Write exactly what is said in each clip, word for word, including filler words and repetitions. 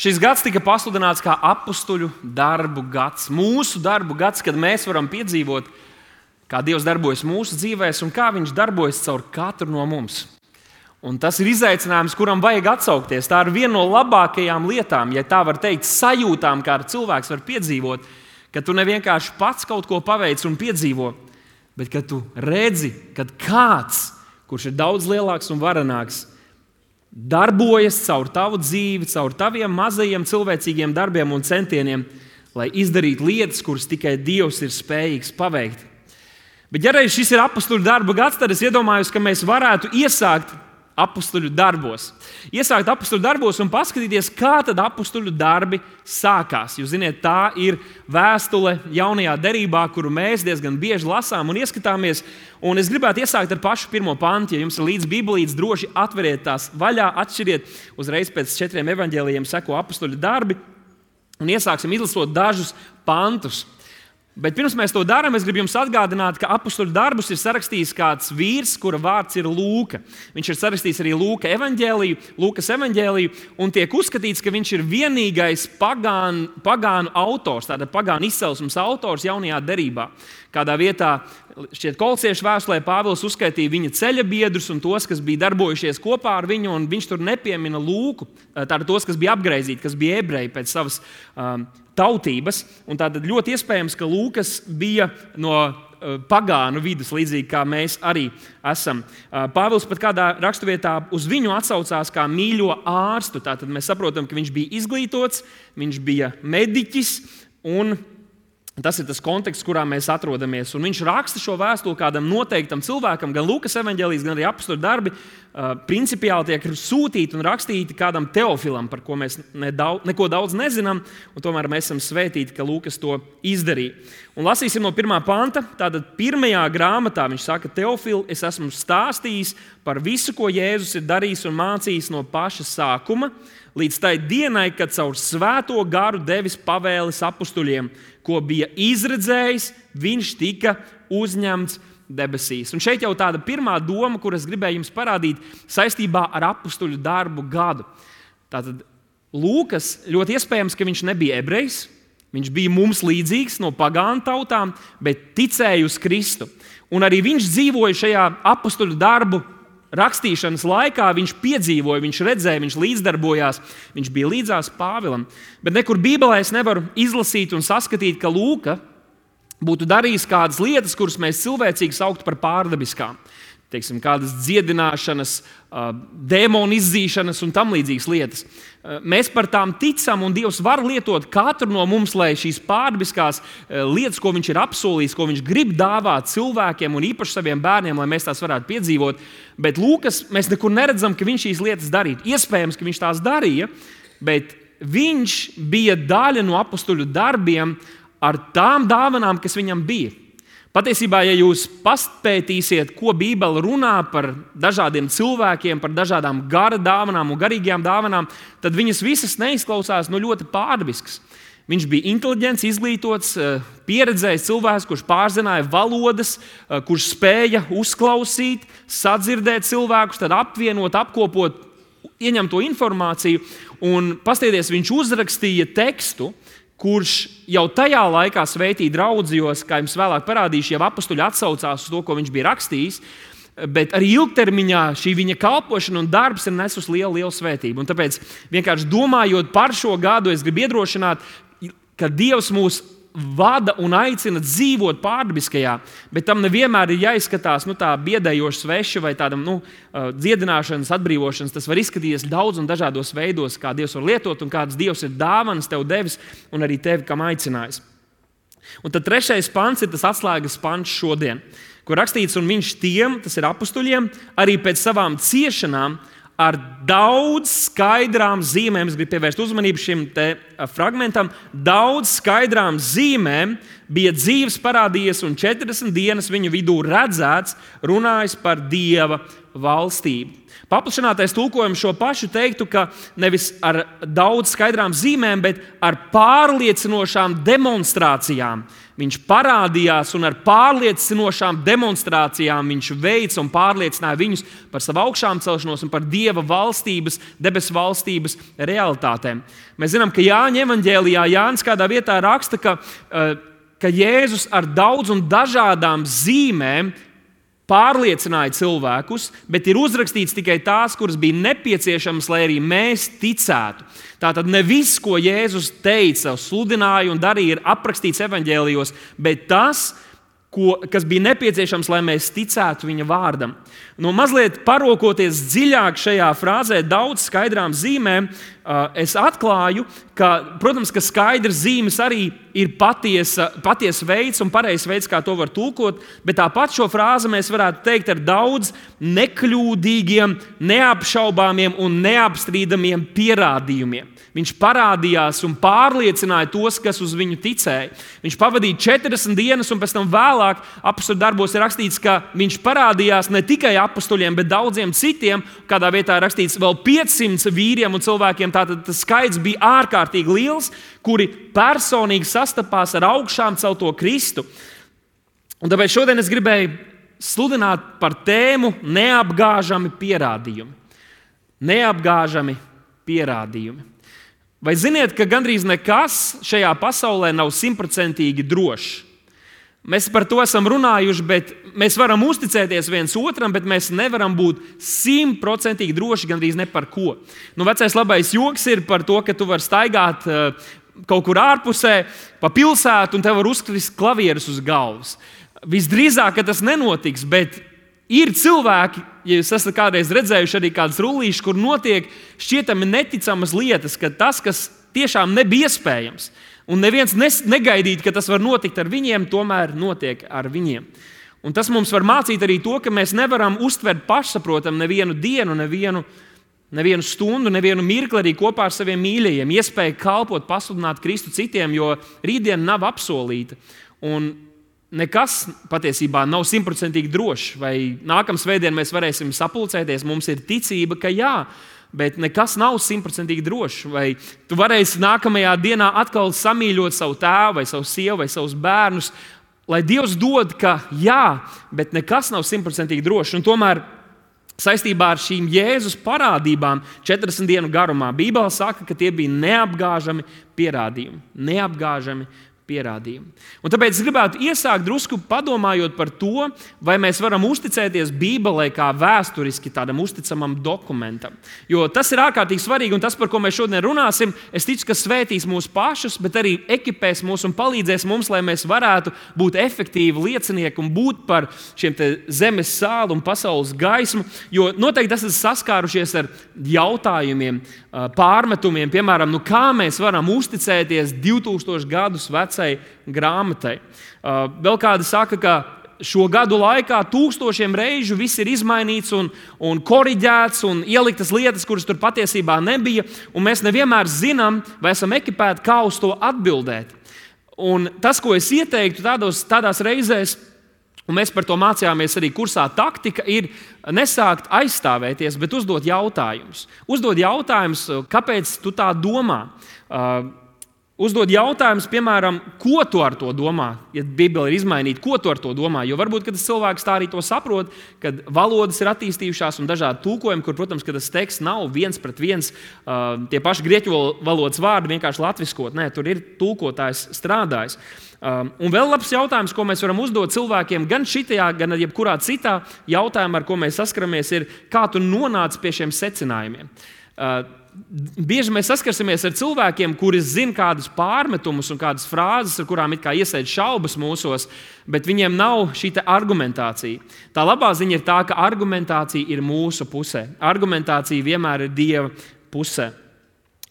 Šis gads tika pasludināts kā apustuļu darbu gads. Mūsu darbu gads, kad mēs varam piedzīvot, kā Dievs darbojas mūsu dzīvēs un kā Viņš darbojas caur katru no mums. Un tas ir izaicinājums, kuram vajag atsaukties. Tā ir viena no labākajām lietām, ja tā var teikt, sajūtām, kā cilvēks var piedzīvot, ka tu nevienkārši pats kaut ko paveic un piedzīvo, bet ka tu redzi, ka kāds, kurš ir daudz lielāks un varenāks, darbojas caur tavu dzīvi, caur taviem mazajiem cilvēcīgiem darbiem un centieniem, lai izdarītu lietas, kuras tikai Dievs ir spējīgs paveikt. Bet ja reiz šis ir apustuļu darba gads, tad es iedomājos, ka mēs varētu iesākt apustuļu darbos. Iesākt apustuļu darbos un paskatīties, kā tad apustuļu darbi sākās. Jūs ziniet, tā ir vēstule jaunajā derībā, kuru mēs diezgan bieži lasām un ieskatāmies. Un es gribētu iesākt ar pašu pirmo pantu. Ja jums ir līdz bībelītes, droši atveriet tās vaļā, atšķiriet. Uzreiz pēc četriem evaņģēlijiem seko apustuļu darbi. Un iesāksim izlasot dažus pantus. Bet pirms mēs to darām, es gribu jums atgādināt, ka apustuļu darbus ir sarakstījis kāds vīrs, kura vārds ir Lūka. Viņš ir sarakstījis arī Lūka evaņģēliju, Lūkas evaņģēliju, un tiek uzskatīts, ka viņš ir vienīgais pagānu, pagānu autors, tāda pagānu izcelsmes autors jaunajā derībā. Kādā vietā, šķiet, Kolosiešu vēstulē Pāvils uzskaitīja viņa ceļa biedrus un tos, kas bija darbojušies kopā ar viņu, un viņš tur nepiemina Lūku, tātad tos, kas bija apgreizīti, kas bija ebreji pēc savas um, tautības. Un tātad ļoti iespējams, ka Lūkas bija no uh, pagānu vidas, līdzīgi kā mēs arī esam. Uh, Pāvils pat kādā raksturvietā uz viņu atsaucās kā mīļo ārstu. Tātad mēs saprotam, ka viņš bija izglītots, viņš bija mediķis un tas ir tas konteksts, kurā mēs atrodamies. Un viņš raksta šo vēstuli kādam noteiktam cilvēkam, gan Lūkas evaņģēlijas, gan arī apustuļu darbi, uh, principiāli tiek sūtīti un rakstīti kādam Teofilam, par ko mēs nedaudz, neko daudz nezinām, un tomēr mēs esam svētīti, ka Lūkas to izdarīja. Un lasīsim no pirmā panta. Tātad pirmajā grāmatā viņš saka: Teofil, es esmu stāstījis par visu, ko Jēzus ir darījis un mācījis no paša sākuma, līdz tai dienai, kad caur svēto garu devis pavēles apustuļiem, ko bija izredzējis, viņš tika uzņemts debesīs. Un šeit jau tāda pirmā doma, kuras gribēju jums parādīt saistībā ar apustuļu darbu gadu. Tātad Lūkas ļoti iespējams, ka viņš nebija ebrejs, viņš bija mums līdzīgs no pagānu tautām, bet ticēja uz Kristu. Un arī viņš dzīvoja šajā apustuļu darbu rakstīšanas laikā, viņš piedzīvoja, viņš redzēja, viņš līdzdarbojās, viņš bija līdzās Pāvilam. Bet nekur Bībelē es nevaru izlasīt un saskatīt, ka Lūka būtu darījis kādas lietas, kuras mēs cilvēcīgi sauktu par pārdabiskām. Teiksim, kādas dziedināšanas, dēmonu izzīšanas un tam līdzīgas lietas. Mēs par tām ticam, un Dievs var lietot katru no mums, lai šīs pārdabiskās lietas, ko viņš ir apsolījis, ko viņš grib dāvāt cilvēkiem un īpaši saviem bērniem, lai mēs tās varētu piedzīvot. Bet Lūkas, mēs nekur neredzam, ka viņš šīs lietas darītu. Iespējams, ka viņš tās darīja, bet viņš bija daļa no apustuļu darbiem ar tām dāvanām, kas viņam bija. Patiesībā, ja jūs paspētīsiet, ko Bībele runā par dažādiem cilvēkiem, par dažādām gara dāvanām un garīgajām dāvanām, tad viņas visas neizklausās no ļoti pārdabiskas. Viņš bija inteliģents, izglītots, pieredzējis cilvēks, kurš pārzināja valodas, kurš spēja uzklausīt, sadzirdēt cilvēkus, tad apvienot, apkopot, ieņemt to informāciju. Un paskatieties, viņš uzrakstīja tekstu, kurš jau tajā laikā sveitīja draudzījos, kā jums vēlāk parādīšu, jau apustuļi atsaucās uz to, ko viņš bija rakstījis, bet arī ilgtermiņā šī viņa kalpošana un darbs ir nesus lielu, lielu svētību. Un tāpēc vienkārši domājot par šo gadu, es gribu iedrošināt, ka Dievs mūs vada un aicina dzīvot pārdabiskajā, bet tam nevienmēr ir jāizskatās nu, tā biedējoša sveša vai tādam nu, dziedināšanas, atbrīvošanas. Tas var izskatīties daudz un dažādos veidos, kā Dievs var lietot un kādas Dievs ir dāvanas tev devis un arī tevi kam aicinājis. Un tad trešais pants ir tas atslēgas pants šodien, kur rakstīts, un viņš tiem, tas ir apustuļiem, arī pēc savām ciešanām ar daudz skaidrām zīmēm, es gribu pievērst uzmanību šim te fragmentam, daudz skaidrām zīmēm bija dzīves parādījies un četrdesmit dienas viņu vidū redzēts, runājis par Dieva valstību. Paplašinātais tulkojums šo pašu teiktu, ka nevis ar daudz skaidrām zīmēm, bet ar pārliecinošām demonstrācijām. Viņš parādījās un ar pārliecinošām demonstrācijām viņš veica un pārliecināja viņus par savu augšām celšanos un par Dieva valstības, debesu valstības realitātēm. Mēs zinām, ka Jāņa evaņģēlijā Jānis kādā vietā raksta, ka, ka Jēzus ar daudz un dažādām zīmēm pārliecināja cilvēkus, bet ir uzrakstīts tikai tās, kuras bija nepieciešamas, lai arī mēs ticētu. Tātad ne viss, ko Jēzus teica, sludināja un darīja, ir aprakstīts evaņģēlijos, bet tas, ko, kas bija nepieciešams, lai mēs ticētu viņa vārdam. Nu, mazliet parokoties dziļāk šajā frāzē, daudz skaidrām zīmēm, es atklāju, ka, protams, ka skaidras zīmes arī ir patiesa, patiesa veids un pareizs veids, kā to var tulkot, bet tāpat šo frāzi mēs varētu teikt ar daudz nekļūdīgiem, neapšaubāmiem un neapstrīdamiem pierādījumiem. Viņš parādījās un pārliecināja tos, kas uz viņu ticēja. Viņš pavadīja četrdesmit dienas, un pēc tam vēlāk apostļu darbos ir rakstīts, ka viņš parādījās ne tikai apostļiem, bet daudziem citiem. Kādā vietā ir rakstīts vēl piecsimt vīriem un cilvēkiem. Tātad tas skaits bija ārkārtīgi liels, kuri personīgi sastapās ar augšām celto Kristu. Un tāpēc šodien es gribēju sludināt par tēmu neapgāžami pierādījumi. Neapgāžami pierādījumi. Vai ziniet, ka gandrīz nekas šajā pasaulē nav simtprocentīgi drošs? Mēs par to esam runājuši, bet mēs varam uzticēties viens otram, bet mēs nevaram būt simtprocentīgi droši gandrīz ne par ko. Nu, vecais labais joks ir par to, ka tu vari staigāt uh, kaut kur ārpusē, pa pilsētu, un tev var uzkrist klavieres uz galvas. Visdrīzāk, ka tas nenotiks, bet ir cilvēki, ja jūs esat kādreiz redzējuši arī kādas rullīšas, kur notiek šķietami neticamas lietas, ka tas, kas tiešām nebija iespējams, un neviens negaidīja, ka tas var notikt ar viņiem, tomēr notiek ar viņiem. Un tas mums var mācīt arī to, ka mēs nevaram uztvert pašsaprotam nevienu dienu, nevienu, nevienu stundu, nevienu mirkli arī kopā ar saviem mīļajiem, iespēju kalpot, pasludināt Kristu citiem, jo rītdiena nav apsolīta. Un nekas patiesībā nav simtprocentīgi drošs. Vai nākamā svētdienā mēs varēsim sapulcēties, mums ir ticība, ka jā, bet nekas nav simtprocentīgi drošs. Vai tu varēsi nākamajā dienā atkal samīļot savu tēvu, vai savu sievu, vai savus bērnus, lai Dievs dod, ka jā, bet nekas nav simtprocentīgi drošs. Un tomēr saistībā ar šīm Jēzus parādībām četrdesmit dienu garumā Bībele saka, ka tie bija neapgāžami pierādījumi. Neapgāžami pierādījumi. Un tāpēc es gribētu iesākt drusku padomājot par to, vai mēs varam uzticēties Bībelei kā vēsturiski tādam uzticamam dokumentam. Jo tas ir ārkārtīgi svarīgi, un tas, par ko mēs šodien runāsim, es ticu, ka svētīs mūs pašus, bet arī ekipēs mūs un palīdzēs mums, lai mēs varētu būt efektīvi liecinieki un būt par šiem te zemes sāli un pasaules gaismu. Jo noteikti esat saskārušies ar jautājumiem, pārmetumiem, piemēram, nu kā mēs varam uzticēties divtūkstošu gadus vecai grāmatai. Vēl kādi saka, ka šo gadu laikā tūkstošiem reižu viss ir izmainīts un, un koriģēts un ieliktas lietas, kuras tur patiesībā nebija, un mēs nevienmēr zinām, vai esam ekipēti, kā uz to atbildēt. Un tas, ko es ieteiktu tādos, tādās reizēs, un mēs par to mācījāmies arī kursā taktika, ir nesākt aizstāvēties, bet uzdot jautājumus. Uzdot jautājumus, kāpēc tu tā domā? Uh, uzdod jautājumus, piemēram, ko tu ar to domā, ja Bībele ir izmainīta, ko tu ar to domā. Jo varbūt, ka tas cilvēks tā arī to saprot, kad valodas ir attīstījušās un dažādi tulkojumi, kur, protams, ka tas teksts nav viens pret viens, uh, tie paši grieķu valodas vārdi vienkārši latviskot. Nē, tur ir tulkotājs strādājis. Um, un vēl labs jautājums, ko mēs varam uzdot cilvēkiem, gan šitajā, gan jebkurā citā jautājumā, ar ko mēs saskaramies, ir, kā tu nonāci pie šiem secinājumiem. Uh, Bieži mēs saskarsimies ar cilvēkiem, kuri zina kādus pārmetumus un kādas frāzes, ar kurām it kā iesēž šaubas mūsos, bet viņiem nav šī argumentācija. Tā labā ziņa ir tā, ka argumentācija ir mūsu pusē. Argumentācija vienmēr ir Dieva pusē.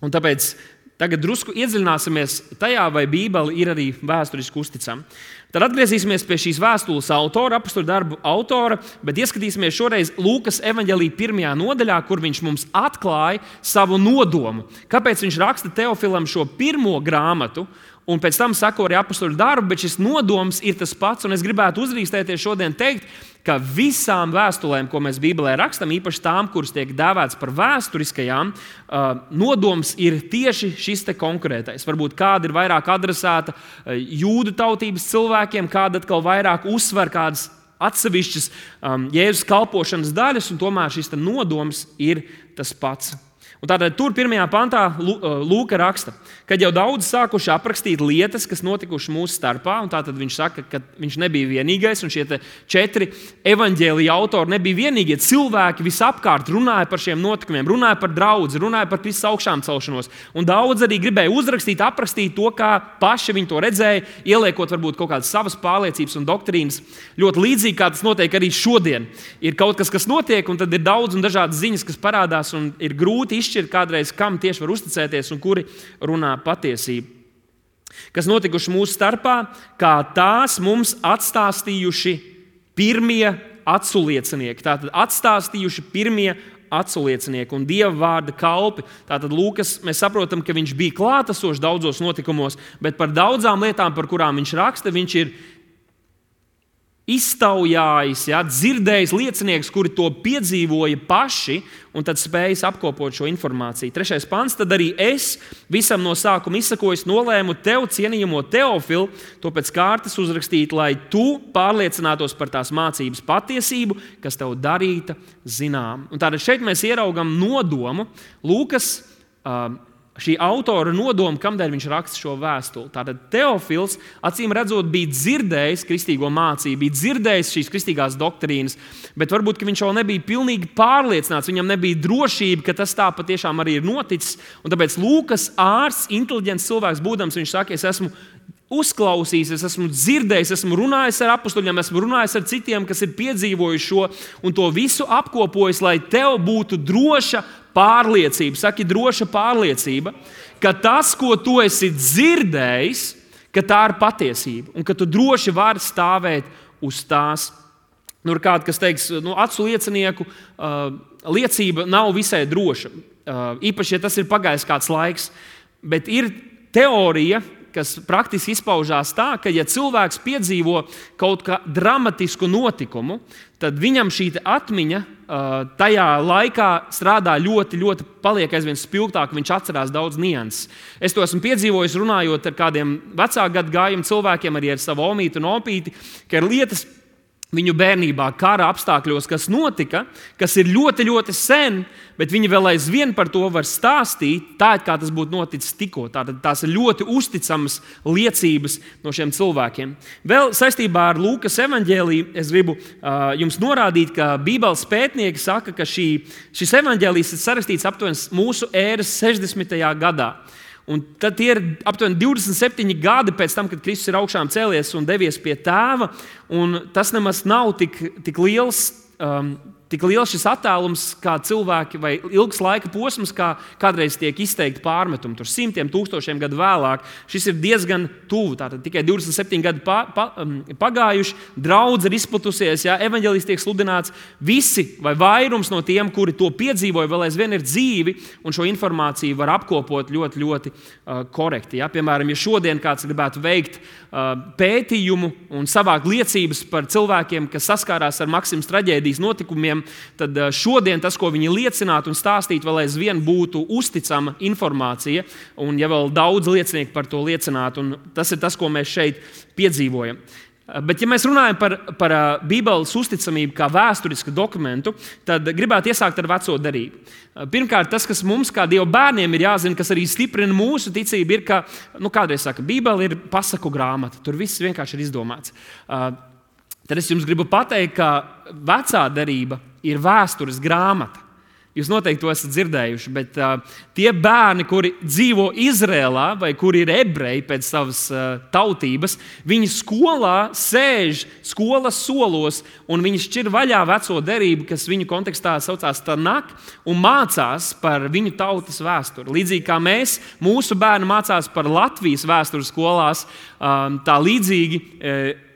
Un tāpēc tagad drusku iedziļināsimies tajā, vai Bībele ir arī vēsturiski uzticama. Tad atgriezīsimies pie šīs vēstules autora, apostļu darbu autora, bet ieskatīsimies šoreiz Lūkas evaņģēlija pirmajā nodaļā, kur viņš mums atklāja savu nodomu. Kāpēc viņš raksta Teofilam šo pirmo grāmatu, un pēc tam sako arī apostoļu darbu, bet šis nodoms ir tas pats. Un es gribētu uzrīstēties šodien teikt, ka visām vēstulēm, ko mēs Bībelē rakstam, īpaši tām, kuras tiek dēvētas par vēsturiskajām, nodoms ir tieši šis te konkrētais. Varbūt kāda ir vairāk adresēta jūdu tautības cilvēkiem, kāda atkal vairāk uzsver kādas atsevišķas um, Jēzus kalpošanas daļas, un tomēr šis nodoms ir tas pats. Un tātad tur pirmajā pantā Lūka raksta, kad jau daudz sākuši aprakstīt lietas, kas notikušas mūsu starpā, un tātad viņš saka, ka viņš nebija vienīgais, un šie četri evaņģēlija autori nebija vienīgie. Cilvēki visapkārt runāja par šiem notikumiem, runāja par draudzi, runāja par Kristus augšām celšanos, un daudz arī gribēja uzrakstīt, aprakstīt to, kā paši viņi to redzēja, ieliekot varbūt kaut kādas savas pārliecības un doktrīnas. Ļoti līdzīgi, kā tas notiek arī šodien. Ir kaut kas, kas notiek, un tad ir daudz un dažādas ziņas, kas parādās, un ir grūti izšķirt kādreiz, kam tieši var uzticēties un kuri runā patiesību. Kas notikuši mūsu starpā, kā tās mums atstāstījuši pirmie aculiecinieki. Tātad atstāstījuši pirmie aculiecinieki un Dieva vārda kalpi. Tātad Lūkas, mēs saprotam, ka viņš bija klātesošs daudzos notikumos, bet par daudzām lietām, par kurām viņš raksta, viņš ir iztaujājis, ja, dzirdējis liecinieks, kuri to piedzīvoja paši, un tad spējis apkopot šo informāciju. Trešais pants, tad arī es visam no sākuma izsakojis nolēmu tev, cienījamo Teofilu, to pēc kārtas uzrakstīt, lai tu pārliecinātos par tās mācības patiesību, kas tev darīta zinām. Un tātad šeit mēs ieraugam nodomu Lūkas uh, šī autora nodoma, kamdēļ viņš raksta šo vēstuli. Tātad Teofils, acīm redzot, bija dzirdējis kristīgo mācību, bija dzirdējis šīs kristīgās doktrīnas, bet varbūt viņš vēl nebija pilnīgi pārliecināts, viņam nebija drošība, ka tas tā patiešām arī ir noticis. Un tāpēc Lūkas ārsts, inteliģents cilvēks būdams, viņš saka, es esmu uzklausījis, es esmu dzirdējis, esmu runājis ar apostoļiem, esmu runājis ar citiem, kas ir piedzīvojuši šo, un to visu apkopojis, lai tev būtu droša pārliecība, saki droša pārliecība, ka tas, ko tu esi dzirdējis, ka tā ir patiesība, un ka tu droši vari stāvēt uz tās. Nu, ir kāds, kas teiks, nu, acu liecinieku uh, liecība nav visai droša, uh, īpaši, ja tas ir pagājis kāds laiks, bet ir teorija, kas praktiski izpaužās tā, ka, ja cilvēks piedzīvo kaut kādu dramatisku notikumu, tad viņam šī atmiņa uh, tajā laikā strādā ļoti, ļoti paliek aizvien spilgtāk, viņš atcerās daudz nianses. Es to esmu piedzīvojis, runājot ar kādiem vecāku gadagājumu cilvēkiem, arī ar savu omīti un opīti, ka ir lietas viņu bērnībā, kara apstākļos, kas notika, kas ir ļoti, ļoti sen, bet viņi vēl aizvien par to var stāstīt, tā kā tas būtu noticis tikko. Tātad tās ir ļoti uzticamas liecības no šiem cilvēkiem. Vēl saistībā ar Lūkas evaņģēliju es gribu uh, jums norādīt, ka Bībeles pētnieki saka, ka šī, šis evaņģēlijs ir sarakstīts aptuveni mūsu ēras sešdesmitajā gadā. Un tad ir aptuveni divdesmit septiņi gadi pēc tam, kad Kristus ir augšām cēlies un devies pie Tēva. Un tas nemaz nav tik, tik liels, um, tik liels šis attēlums, kā cilvēki, vai ilgs laika posms, kā kādreiz tiek izteikti pārmetumi. Tur simtiem tūkstošiem gadu vēlāk. Šis ir diezgan tuvu. Tātad tikai divdesmit septiņi gadi pa, pa, um, pagājuši, draudze ir izplatusies, ja, evaņģēlijs tiek sludināts. Visi vai vairums no tiem, kuri to piedzīvoja, vēl aizvien ir dzīvi, un šo informāciju var apkopot ļoti, ļoti uh, korekti. Ja. Piemēram, ja šodien kāds gribētu veikt uh, pētījumu un savākt liecības par cilvēkiem, kas saskārās ar Maksimas traģēdijas notikumiem, tad šodien tas, ko viņi liecinātu un stāstītu, vēl aizvien būtu uzticama informācija, un ja vēl daudz liecinieku par to liecinātu, un tas ir tas, ko mēs šeit piedzīvojam. Bet, ja mēs runājam par, par Bībeles uzticamību kā vēsturisku dokumentu, tad gribētu iesākt ar veco derību. Pirmkārt, tas, kas mums kā Dieva bērniem ir jāzina, kas arī stiprina mūsu ticību, ir, ka, nu, kādreiz saka, Bībele ir pasaku grāmata, tur viss vienkārši ir izdomāts. Tad es jums gribu pateikt, ka vecā derība ir vēstures grāmata. Jūs noteikti to esat dzirdējuši, bet uh, tie bērni, kuri dzīvo Izrēlā vai kuri ir ebreji pēc savas uh, tautības, viņi skolā sēž skolas solos un viņi šķir vaļā veco derību, kas viņu kontekstā saucās Tanak, un mācās par viņu tautas vēsturi. Līdzīgi kā mēs, mūsu bērni mācās par Latvijas vēstures skolās, um, tā līdzīgi uh,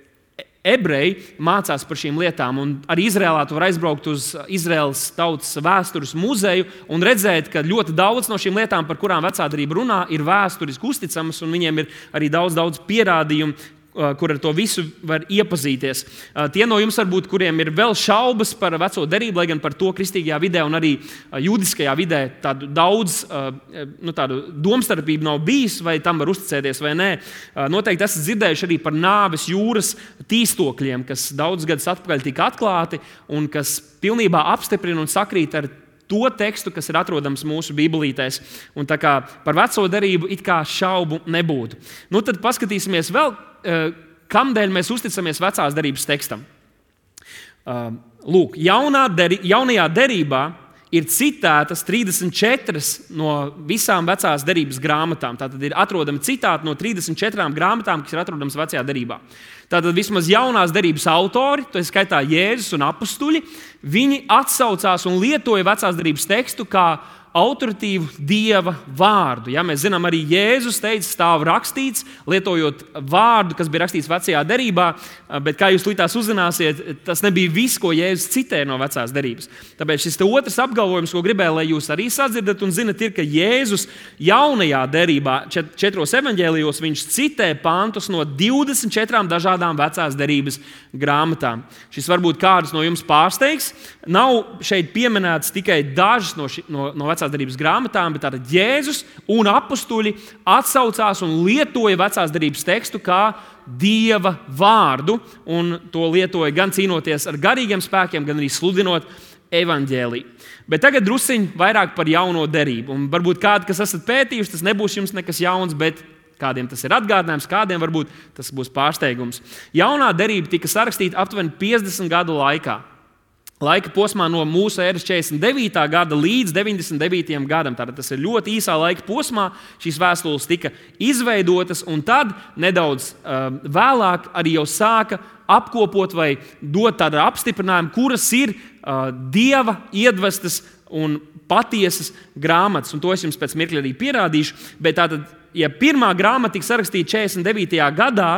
ebreji mācās par šīm lietām. Un arī Izrēlā tu vari aizbraukt uz Izraēlas tautas vēstures muzeju un redzēt, ka ļoti daudz no šīm lietām, par kurām vecā derība runā, ir vēsturiski uzticamas, un viņiem ir arī daudz, daudz pierādījumu, kur ar to visu var iepazīties. Tie no jums, varbūt, kuriem ir vēl šaubas par veco derību, lai gan par to kristīgajā vidē un arī judiskajā vidē tādu daudz nu, tādu domstarpību nav bijis, vai tam var uzticēties vai nē. Noteikti esat dzirdējuši arī par nāves jūras tīstokļiem, kas daudz gadus atpakaļ tika atklāti un kas pilnībā apstiprina un sakrīt ar to tekstu, kas ir atrodams mūsu bībelītēs. Un tā kā par veco derību it kā šaubu nebūtu. Nu, tad paskatīsimies vēl, kamdēļ mēs uzticamies vecās derības tekstam. Lūk, jaunā deri, jaunajā derībā ir citētas trīsdesmit četras no visām vecās derības grāmatām. Tātad ir atrodami citāti no trīsdesmit četrām grāmatām, kas ir atrodamas vecajā derībā. Tātad vismaz jaunās derības autori, to ir skaitā Jēzus un apustuļi, viņi atsaucās un lietoja vecās derības tekstu kā autoritīvu Dieva vārdu. Ja, mēs zinām, arī Jēzus teica, stāv rakstīts, lietojot vārdu, kas bija rakstīts vecajā derībā, bet kā jūs līdz uzzināsiet, tas nebija viss, ko Jēzus citēja no vecās derības. Tāpēc šis otrs apgalvojums, ko gribēju, lai jūs arī sadzirdat un zinat, ir, ka Jēzus jaunajā derībā, četros evaņģēlijos, viņš citē pantus no divdesmit četrām dažādām vecās derības grāmatām. Šis varbūt kādus no jums pārsteigs. Nav šeit pieminēts tikai dažas no, ši, no, no vecās derības grāmatām, bet tātad Jēzus un apustuļi atsaucās un lietoja vecās derības tekstu kā Dieva vārdu, un to lietoja gan cīnoties ar garīgiem spēkiem, gan arī sludinot evaņģēliju. Bet tagad drusciņ vairāk par jauno derību. Un varbūt kādi, kas esat pētījuši, tas nebūs jums nekas jauns, bet kādiem tas ir atgādinājums, kādiem varbūt tas būs pārsteigums. Jaunā derība tika sarakstīta aptuveni piecdesmit gadu laikā. Laika posmā no mūsu ēras četrdesmit devītā gada līdz deviņdesmit devītajam gadam. Tātad tas ir ļoti īsā laika posmā. Šīs vēstules tika izveidotas, un tad nedaudz uh, vēlāk arī jau sāka apkopot vai dot tādu apstiprinājumu, kuras ir uh, Dieva iedvestas un patiesas grāmatas. Un to es jums pēc mirkļa arī pierādīšu. Bet tātad, ja pirmā grāmata tika sarakstīta četrdesmit devītajā gadā,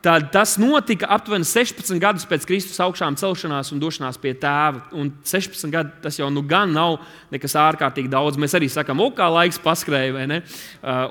tad tas notika aptuveni sešpadsmit gadus pēc Kristus augšām celšanās un došanās pie Tēva. Un sešpadsmit gadi tas jau nu gan nav nekas ārkārtīgi daudz. Mēs arī sakām, o, kā laiks paskrēja, vai ne?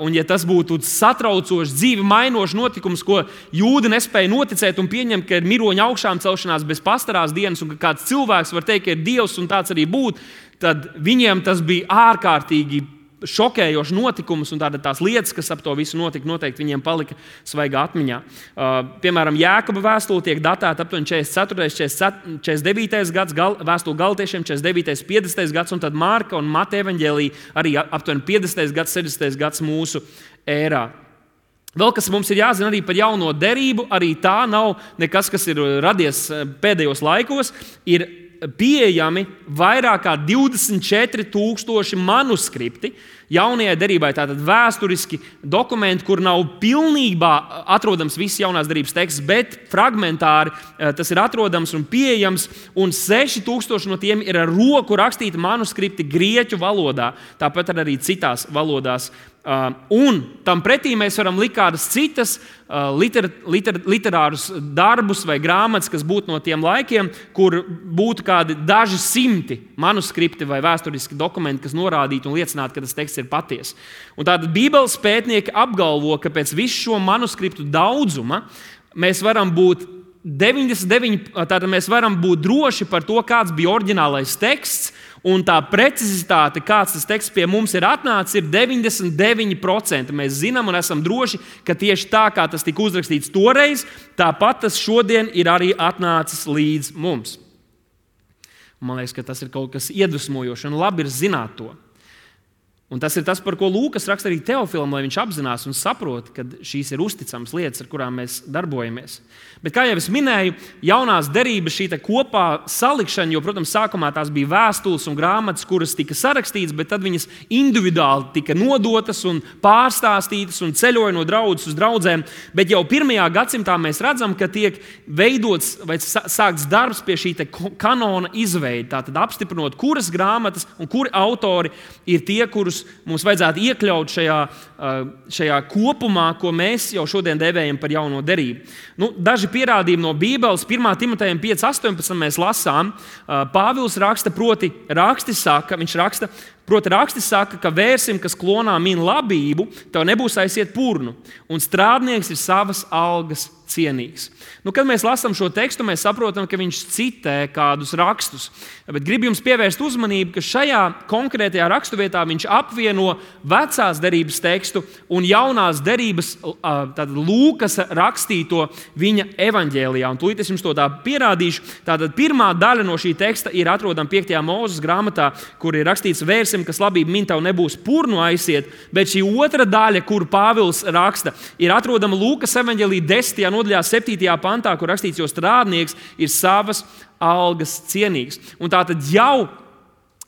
Un ja tas būtu satraucošs, dzīvi mainošs notikums, ko jūdi nespēja noticēt un pieņemt, ka ir miroņa augšām celšanās bez pastarās dienas un ka kāds cilvēks var teikt, ka ir Dievs un tāds arī būt, tad viņiem tas bija ārkārtīgi šokējošs notikums, un tāda tās lietas, kas ap to visu notika, noteikti viņiem palika svaigā atmiņā. Uh, piemēram, Jēkaba vēstule tiek datēta aptuveni četrdesmit ceturtais, četrdesmit devītais gads, gal, vēstule Galatiešiem četrdesmit devītais, piecdesmitais gads, un tad Marka un Mateja evaņģēlija arī aptuveni piecdesmitais gads, sešdesmitais gads mūsu ērā. Vēl kas mums ir jāzina arī par jauno derību, arī tā nav nekas, kas ir radies pēdējos laikos, ir pieejami vairāk kā divdesmit četri tūkstoši manuskripti jaunajai derībai, tātad vēsturiski dokumenti, kur nav pilnībā atrodams viss jaunās derības teksts, bet fragmentāri tas ir atrodams un pieejams, un seši tūkstoši no tiem ir ar roku rakstīti manuskripti grieķu valodā, tāpat arī citās valodās. Uh, un tam pretī mēs varam likt kādas citas uh, liter, liter, literārus darbus vai grāmatas, kas būtu no tiem laikiem, kur būtu kādi daži simti manuskripti vai vēsturiski dokumenti, kas norādītu un liecinātu, ka tas teksts ir patiess. Un tātad Bībeles pētnieki apgalvo, ka pēc visu šo manuskriptu daudzuma mēs varam būt deviņdesmit deviņi, tātad mēs varam būt droši par to, kāds bija oriģinālais teksts. Un tā precizitāte, kāds tas teksts pie mums ir atnācis, ir deviņdesmit deviņi procenti. Mēs zinām un esam droši, ka tieši tā, kā tas tika uzrakstīts toreiz, tāpat tas šodien ir arī atnācis līdz mums. Man liekas, ka tas ir kaut kas iedvesmojošs un labi ir zināt to. Un tas ir tas, par ko Lūkas raksta arī Teofilam, lai viņš apzinās un saprot, ka šīs ir uzticamas lietas, ar kurām mēs darbojamies. Bet, kā jau es minēju, jaunās derības šī kopā salikšana, jo, protams, sākumā tās bija vēstules un grāmatas, kuras tika sarakstītas, bet tad viņas individuāli tika nodotas un pārstāstītas un ceļoja no draudzes uz draudzēm. Bet jau pirmajā gadsimtā mēs redzam, ka tiek veidots vai sākts darbs pie šī kanona izveide. Tātad apstiprinot, kuras grāmatas un kuri autori ir tie, kurus mums vajadzētu iekļaut šajā šajā kopumā, ko mēs jau šodien dēvējam par jauno derību. Nu, daži pierādījumi no Bībeles, pirmā Timotejam pieci astoņpadsmit mēs lasām, Pāvils raksta, proti raksti saka, viņš raksta, proti raksti saka, ka vērsim, kas klonā min labību, tev nebūs aiziet purnu, un strādnieks ir savas algas cienīgs. Nu, kad mēs lasām šo tekstu, mēs saprotam, ka viņš citē kādus rakstus. Bet gribu jums pievērst uzmanību, ka šajā konkrētajā raksturvietā viņš apvieno vecās derības tekstu un jaunās derības tātad Lūkas rakstīto viņa evaņģēlijā. Un tūlīt es jums to tā pierādīšu. Tātad pirmā daļa no šī teksta ir atrodama piektajā Mūzes grāmatā, kur ir rakstīts vērsim, kas labību min tev nebūs purnu aiziet, bet šī otra daļa, kur Pāvils raksta, ir atrodama Lūkas evaņģēlijā desmitajā nodaļā septītajā pantā, kur rakstīts, jo strādnieks ir savas algas cienīgs. Un tātad jau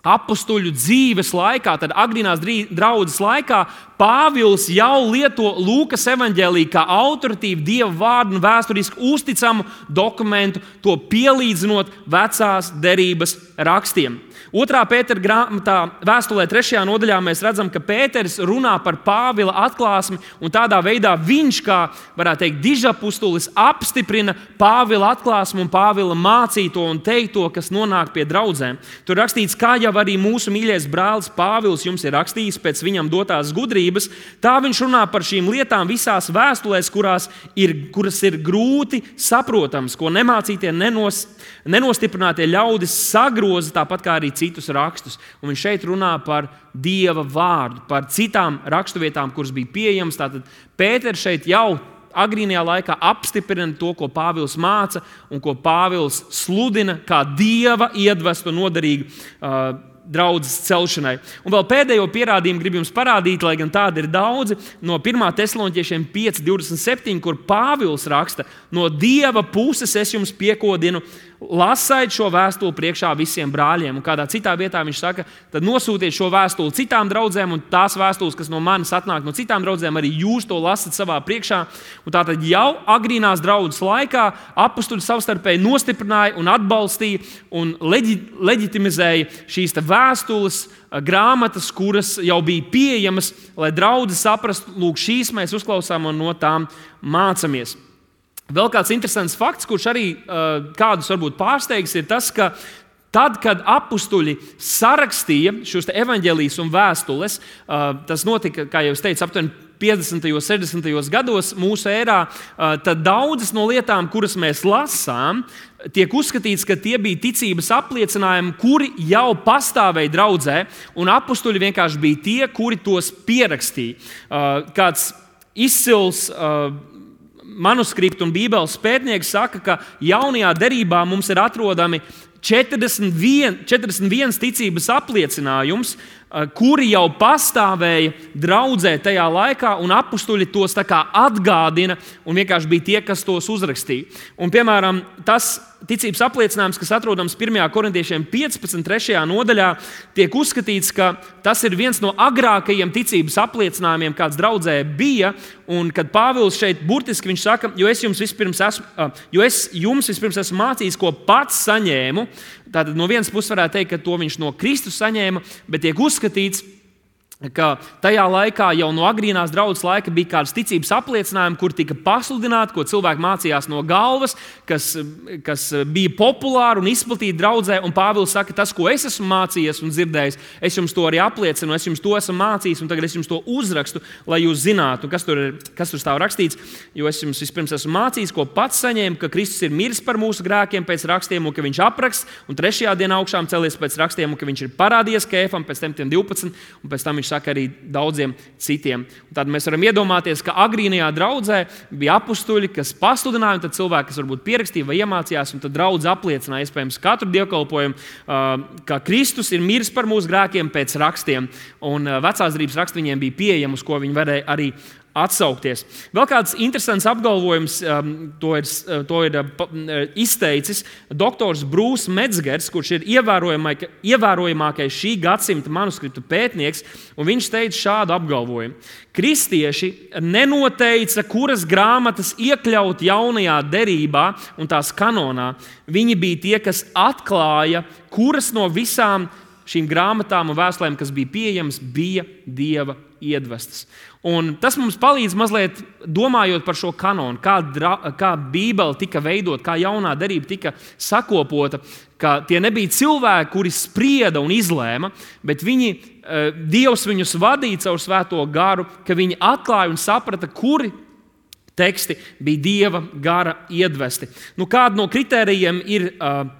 apustuļu dzīves laikā, tad agrīnās draudzes laikā, Pāvils jau lieto Lūkas evaņģēliju kā autoritīvu Dieva vārdu un vēsturiski uzticamu dokumentu, to pielīdzinot vecās derības rakstiem. Otrā Pētera grāmatā, vēstulē trešajā nodaļā, mēs redzam, ka Pēters runā par Pāvila atklāsmi, un tādā veidā viņš, kā varētu teikt, dižapustulis, apstiprina Pāvila atklāsmi un Pāvila mācīto un teikto, kas nonāk pie draudzēm. Tur rakstīts, kā jau arī mūsu mīļais brālis Pāvils jums ir rakstījis pēc viņam dotās gudrības, tā viņš runā par šīm lietām visās vēstulēs, kurās ir, kuras ir grūti saprotams, ko nemācītie, nenos, nenostiprinātie ļaudis sagroza, tāpat kā arī citus rakstus. Un viņš šeit runā par Dieva vārdu, par citām raksturvietām, kuras bija pieejamas. Tātad Pēters šeit jau agrīnajā laikā apstiprina to, ko Pāvils māca un ko Pāvils sludina kā Dieva iedvestu noderīgu uh, draudzes celšanai. Un vēl pēdējo pierādījumu gribu jums parādīt, lai gan tādi ir daudzi, no pirmā Tesaloniķiešiem pieci divdesmit septiņi, kur Pāvils raksta, no Dieva puses es jums piekodinu, lasaiet šo vēstuli priekšā visiem brāļiem. Un kādā citā vietā viņš saka, tad nosūtiet šo vēstuli citām draudzēm, un tās vēstules, kas no manis atnāk no citām draudzēm, arī jūs to lasat savā priekšā. Un tātad jau agrīnās draudzes laikā apustuļi savstarpēji nostiprināja un atbalstīja un leģi, leģitimizēja šīs vēstules, grāmatas, kuras jau bija pieejamas, lai draudzes saprastu, lūk, šīs mēs uzklausām un no tām mācāmies. Vēl kāds interesants fakts, kurš arī uh, kādus varbūt pārsteigs, ir tas, ka tad, kad apustuļi sarakstīja šos evaņģēlijas un vēstules, uh, tas notika, kā jau es teicu, aptuveni piecdesmitajos, sešdesmitajos gados mūsu ērā, uh, tad daudzas no lietām, kuras mēs lasām, tiek uzskatīts, ka tie bija ticības apliecinājumi, kuri jau pastāvēja draudzē, un apustuļi vienkārši bija tie, kuri tos pierakstīja. Uh, kāds izcils uh, manuskriptu un Bībeles pētnieks saka, ka jaunajā derībā mums ir atrodami četrdesmit viens, četrdesmit viens ticības apliecinājums, kuri jau pastāvēja draudzē tajā laikā, un apustuļi tos tā kā atgādina, un vienkārši bija tie, kas tos uzrakstīja. Un, piemēram, tas ticības apliecinājums, kas atrodams pirmajā Korintiešiem piecpadsmit trešajā nodaļā, tiek uzskatīts, ka tas ir viens no agrākajiem ticības apliecinājumiem, kāds draudzē bija, un kad Pāvils šeit burtiski viņš saka, jo es jums vispirms esmu, jo es jums vispirms esmu mācījis, ko pats saņēmu. Tātad no vienas puses varētu teikt, ka to viņš no Kristus saņēma, bet tiek uzskatīts, ka tajā laikā jau no agrīnās draudzes laika bija kādas ticības apliecinājumi, kur tika pasludināti, ko cilvēki mācījās no galvas, kas, kas bija populāri un izplatīti draudzē. Un Pāvils saka, tas, ko es esmu mācījies un dzirdējis, es jums to arī apliecinu, es jums to esmu mācījis, un tagad es jums to uzrakstu, lai jūs zinātu, kas tur, ir, kas tur stāv rakstīts. Jo es jums vispirms esmu mācījis, ko pats saņēmu, ka Kristus ir miris par mūsu grēkiem pēc rakstiem, un ka viņš apraksts, un trešajā dienā augšām celies pēc rakstiem, un ka viņš ir parādījies Kēfam, pēc tam tiem divpadsmit, un pēc tam viņš saka arī daudziem citiem. Un tad mēs varam iedomāties, ka agrīnajā draudzē bija apustuļi, kas pasludināja, un tad cilvēki, kas varbūt pierakstīja vai iemācījās, un tad draudze apliecināja iespējams katru dievkalpojumu, ka Kristus ir miris par mūsu grēkiem pēc rakstiem, un vecās derības raksti viņiem bija pieejami, uz ko viņi varēja arī atsaukties. Vēl kāds interesants apgalvojums, um, to ir, to ir uh, izteicis doktors Brūss Metzgers, kurš ir ievērojamākais šī gadsimta manuskriptu pētnieks, un viņš teica šādu apgalvojumu. Kristieši nenoteica, kuras grāmatas iekļaut jaunajā derībā un tās kanonā. Viņi bija tie, kas atklāja, kuras no visām šīm grāmatām un vēstulēm, kas bija pieejamas, bija Dieva iedvestas. Un tas mums palīdz mazliet domājot par šo kanonu, kā, dra, kā Bībele tika veidot, kā jaunā derība tika sakopota, ka tie nebija cilvēki, kuri sprieda un izlēma, bet viņi, Dievs viņus vadīja caur svēto garu, ka viņi atklāja un saprata, kuri teksti bija Dieva gara iedvesti. Nu, kāda no kritērijiem ir,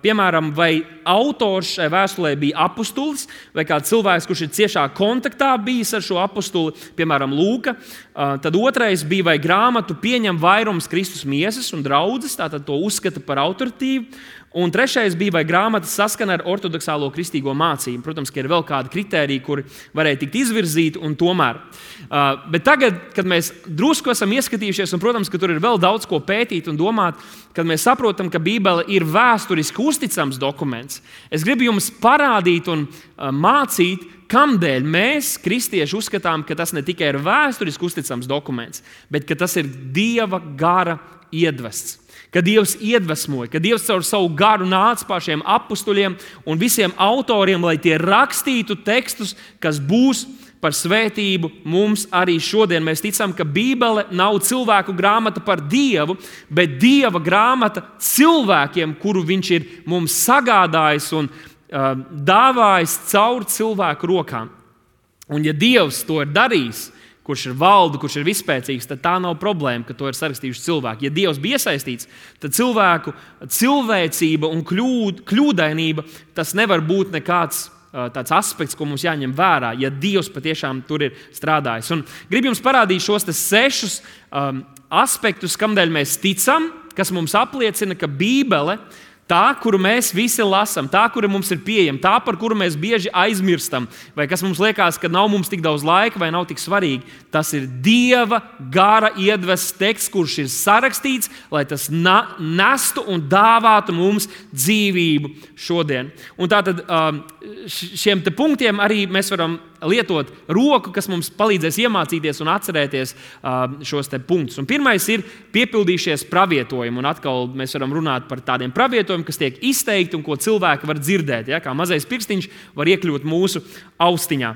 piemēram, vai autors šai vēstulē bija apustulis, vai kāds cilvēks, kurš ir ciešā kontaktā bijis ar šo apustuli, piemēram, Lūka. Tad otrais bija, vai grāmatu pieņem vairums Kristus miesas un draudzes, tātad to uzskata par autoritīvu. Un trešais bija, vai grāmata saskana ar ortodoksālo kristīgo mācību. Protams, ka ir vēl kādi kritēriji, kuri varēja tikt izvirzīti, un tomēr. Uh, bet tagad, kad mēs drusku esam ieskatījušies, un, protams, ka tur ir vēl daudz ko pētīt un domāt, kad mēs saprotam, ka Bībele ir vēsturiski uzticams dokuments, es gribu jums parādīt un uh, mācīt, kamdēļ mēs, kristieši, uzskatām, ka tas ne tikai ir vēsturiski uzticams dokuments, bet ka tas ir Dieva gara iedvests. Ka Dievs iedvesmoja, ka Dievs caur savu garu nāca pār šiem apustuļiem un visiem autoriem, lai tie rakstītu tekstus, kas būs par svētību mums arī šodien. Mēs ticam, ka Bībele nav cilvēku grāmata par Dievu, bet Dieva grāmata cilvēkiem, kuru Viņš ir mums sagādājis un uh, dāvājis caur cilvēku rokām. Un ja Dievs to ir darījis, kurš ir valdu, kurš ir vispēcīgs, tad tā nav problēma, ka to ir sarakstījuši cilvēki. Ja Dievs bija iesaistīts, tad cilvēku cilvēcība un kļūd, kļūdainība, tas nevar būt nekāds uh, tāds aspekts, ko mums jāņem vērā, ja Dievs patiešām tur ir strādājis. Un gribu jums parādīt šos sešus um, aspektus, kamdēļ mēs ticam, kas mums apliecina, ka Bībele, tā, kuru mēs visi lasām, tā, kura mums ir pieejama, tā, par kuru mēs bieži aizmirstam, vai kas mums liekas, ka nav mums tik daudz laika vai nav tik svarīgi, tas ir Dieva gara iedvests teksts, kurš ir sarakstīts, lai tas na- nestu un dāvātu mums dzīvību šodien. Un tātad šiem te punktiem arī mēs varam lietot roku, kas mums palīdzēs iemācīties un atcerēties šos te punktus. Un pirmais ir piepildījušies pravietojumi. Un atkal mēs varam runāt par tādiem pravietojumiem, kas tiek izteikti un ko cilvēki var dzirdēt. Ja? Kā mazais pirkstiņš var iekļūt mūsu austiņā.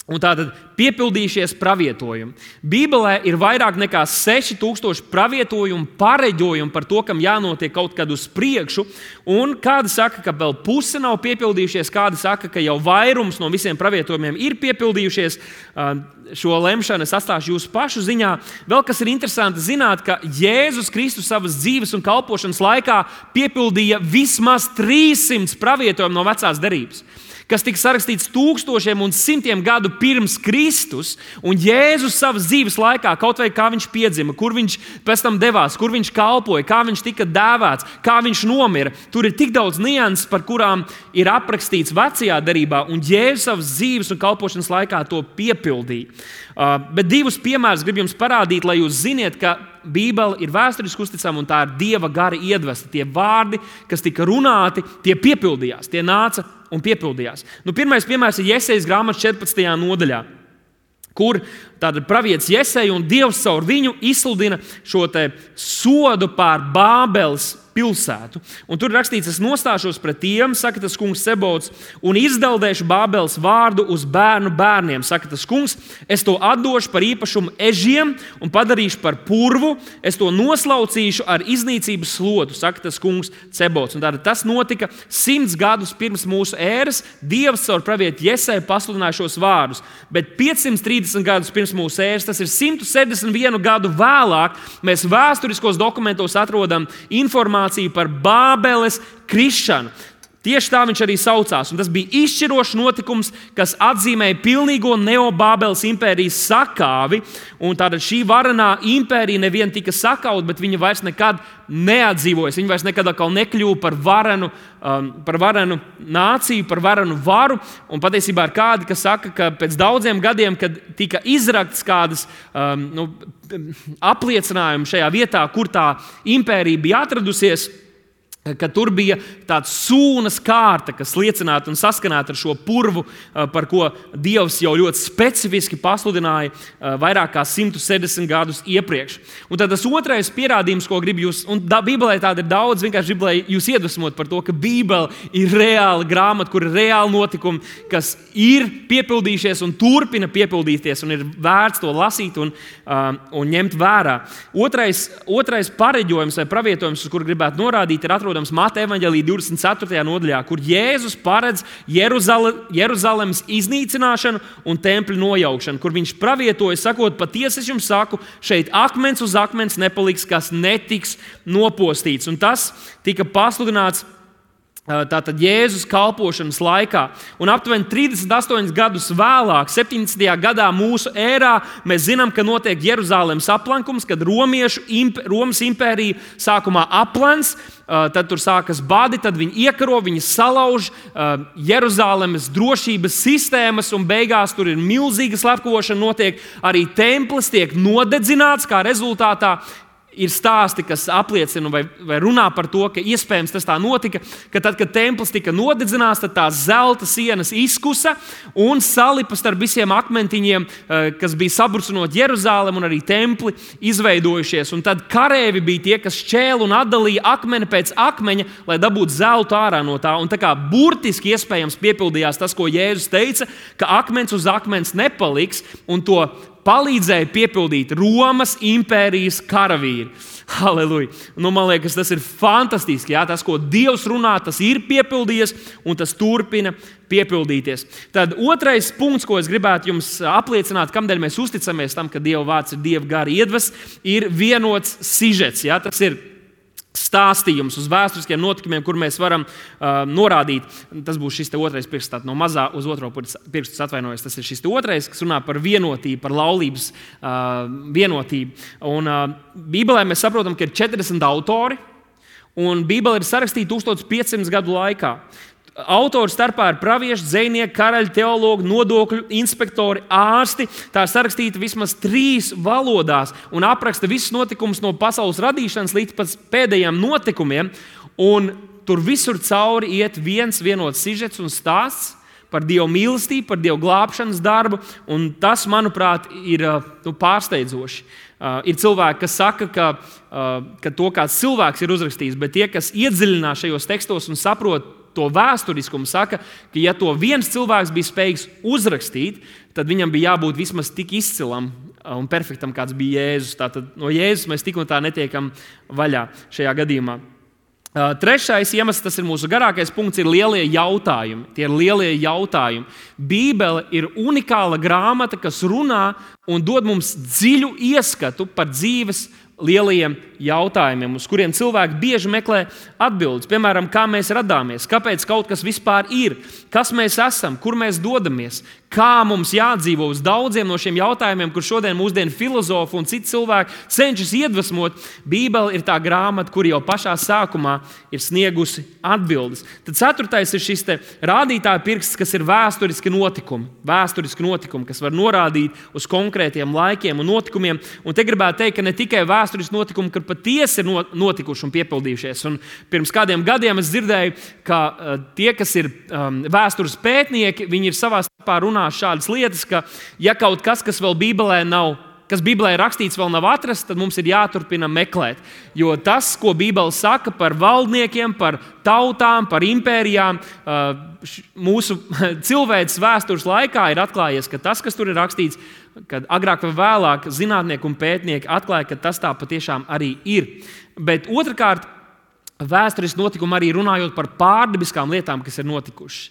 Un tātad piepildījušies pravietojumi. Bībelē ir vairāk nekā seši tūkstoši pravietojumu, pareģojumu par to, kam jānotiek kaut kad uz priekšu. Un kādi saka, ka vēl puse nav piepildījušies, kādi saka, ka jau vairums no visiem pravietojumiem ir piepildījušies. Šo lemšanu es atstāšu jūsu pašu ziņā. Vēl kas ir interesanti zināt, ka Jēzus Kristus savas dzīves un kalpošanas laikā piepildīja vismaz trīssimt pravietojumu no vecās derības, kas tika sarakstīts tūkstošiem un simtiem gadu pirms Kristus, un Jēzus savas dzīves laikā, kaut vai kā viņš piedzima, kur viņš pēc tam devās, kur viņš kalpoja, kā viņš tika dēvēts, kā viņš nomira. Tur ir tik daudz nianses, par kurām ir aprakstīts vecajā derībā, un Jēzus savas dzīves un kalpošanas laikā to piepildīja. Uh, bet divus piemērus gribu jums parādīt, lai jūs ziniet, ka Bībele ir vēsturiski uzticama un tā ir Dieva gara iedvesta. Tie vārdi, kas tika runāti, tie piepildījās, tie nāca un piepildījās. Nu, pirmais piemērs ir Jesejas grāmatas četrpadsmitajā nodaļā, kur tātad pravietis Jeseja un Dievs caur viņu izsludina šo te sodu pār Bābeles pilsētu. Un tur rakstīts, es nostāšos pret tiem, saka tas kungs Sebots, un izdeldēšu Bābeles vārdu uz bērnu bērniem, saka tas kungs, es to atdošu par īpašumu ežiem un padarīšu par purvu, es to noslaucīšu ar iznīcības slotu, saka tas kungs Sebots. Un tātad tas notika simts gadus pirms mūsu ēras, Dievs caur pravietu Jeseju pasludināja šos vārdus, bet piecsimt trīsdesmit gadus pirms mūsu ēras, tas ir simt septiņdesmit vienu gadu vēlāk, mēs vēsturiskos dokumentos atrodam informāciju par Bābeles krišanu. Tieši tā viņš arī saucās. Un tas bija izšķirošs notikums, kas atzīmēja pilnīgo Neobābeles impērijas sakāvi. Un tātad šī varenā impērija nevien tika sakauta, bet viņa vairs nekad neatdzīvojas. Viņa vairs nekad atkal nekļuva par varenu, um, par varenu nāciju, par varenu varu. Un patiesībā ir kādi, kas saka, ka pēc daudziem gadiem, kad tika izrakts kādas um, nu, apliecinājumi šajā vietā, kur tā impērija bija atradusies, ka tur bija tāds sūnas kārta, kas liecinātu un saskanētu ar šo purvu, par ko Dievs jau ļoti specifiski pasludināja vairāk kā simt septiņdesmit gadus iepriekš. Un tad tas otrais pierādījums, ko gribu jūs, un Bībelē tāda ir daudz, vienkārši gribu, lai jūs iedvesmot par to, ka Bībele ir reāla grāmata, kur ir reāli notikumi, kas ir piepildījušies un turpina piepildīties, un ir vērts to lasīt un, un ņemt vērā. Otrais, otrais pareģojums vai pravietojums, uz kuru gribētu norādīt, ir atrodams Mateja evaņģēlija divdesmit ceturtajā nodaļā, kur Jēzus paredz Jeruzale, Jeruzalemes iznīcināšanu un tempļa nojaukšanu, kur viņš pravietoja, sakot, patiesi es jums saku, šeit akmens uz akmens nepaliks, kas netiks nopostīts. Un tas tika pasludināts tātad Jēzus kalpošanas laikā. Un aptuveni trīsdesmit astoņus gadus vēlāk, septiņdesmitajā gadā mūsu ērā, mēs zinām, ka notiek Jeruzalemes aplankums, kad Romiešu, imp, Romas impērija sākumā aplens, tad tur sākas badi, tad viņi iekaro, viņi salauž Jeruzalemes drošības sistēmas, un beigās tur ir milzīga slepkavošana, notiek arī templis, tiek nodedzināts, kā rezultātā ir stāsti, kas apliecina vai, vai runā par to, ka iespējams tas tā notika, ka tad, kad templis tika nodedzināts, tad tās zelta sienas izkusa un salipa starp visiem akmentiņiem, kas bija sabrucinot Jeruzalem un arī templi izveidojušies. Un tad karēvi bija tie, kas šķēla un atdalīja akmeni pēc akmeņa, lai dabūtu zeltu ārā no tā. Un tā kā burtiski iespējams piepildījās tas, ko Jēzus teica, ka akmens uz akmens nepaliks, un to palīdzēja piepildīt Romas impērijas karavīri. Halleluja! Nu, man liekas, tas ir fantastiski. Jā? Tas, ko Dievs runā, tas ir piepildījies un tas turpina piepildīties. Tad otrais punkts, ko es gribētu jums apliecināt, kamdēļ mēs uzticamies tam, ka Dieva vārds ir Dieva gara iedvesmas, ir vienots sižets. Jā? Tas ir stāstījums uz vēsturiskiem notikumiem, kur mēs varam uh, norādīt. Tas būs šis otrais pirksts, no mazā uz otro pirkstu atvainojos. Tas ir šis otrais, kas runā par vienotību, par laulības uh, vienotību. Un uh, Bībelē mēs saprotam, ka ir četrdesmit autori, un Bībele ir sarakstīta tūkstoš piecsimt gadu laikā. Autori starpā ir pravieši, dzejnieki, karaļi, teologi, nodokļu inspektori, ārsti. Tā ir sarakstīta vismaz trīs valodās un apraksta visus notikumus no pasaules radīšanas līdz pat pēdējiem notikumiem. Un tur visur cauri iet viens vienots sižets un stāsts par Dieva mīlestību, par Dieva glābšanas darbu. Un tas, manuprāt, ir nu, pārsteidzoši. Uh, ir cilvēki, kas saka, ka, uh, ka to kāds cilvēks ir uzrakstījis, bet tie, kas iedziļinās šajos tekstos un saprot to vēsturiskumu, saka, ka ja to viens cilvēks bija spējīgs uzrakstīt, tad viņam bija jābūt vismaz tik izcilam un perfektam, kāds bija Jēzus. Tātad no Jēzus mēs tik un tā netiekam vaļā šajā gadījumā. Uh, trešais iemesls, tas ir mūsu garākais punkts, ir lielie jautājumi. Tie ir lielie jautājumi. Bībele ir unikāla grāmata, kas runā un dod mums dziļu ieskatu par dzīves lielajiem jautājumiem, uz kuriem cilvēki bieži meklē atbildes. Piemēram, kā mēs radāmies, kāpēc kaut kas vispār ir, kas mēs esam, kur mēs dodamies, kā mums jādzīvo. Uz daudziem no šiem jautājumiem, kur šodien mūsdienu filozofi un citi cilvēki cenšas iedvesmot, Bībele ir tā grāmata, kur jau pašā sākumā ir sniegusi atbildes. Tad ceturtais ir šis te rādītāja pirksts, kas ir vēsturiski notikumi. Vēsturiski notikumi, kas var norādīt uz konkrētiem laikiem un notikumiem. Un te gribētu teikt, ka ne tikai vēsturiski notikumi, kur patiesi ir notikuši un piepildījušies. Un pirms kādiem gadiem es dzirdēju, ka uh, tie, kas ir um, vēstures pētnieki, viņi ir savā starpā runājuši šādas lietas, ka ja kaut kas, kas vēl Bībelē nav, kas Bībelē ir rakstīts, vēl nav atrasts, tad mums ir jāturpina meklēt. Jo tas, ko Bībele saka par valdniekiem, par tautām, par impērijām, mūsu cilvēces vēstures laikā ir atklājies, ka tas, kas tur ir rakstīts, kad agrāk vai vēlāk zinātnieki un pētnieki atklāja, ka tas tā patiešām arī ir. Bet otrkārt, vēsturiski notikumi arī runājot par pārdabiskām lietām, kas ir notikušas.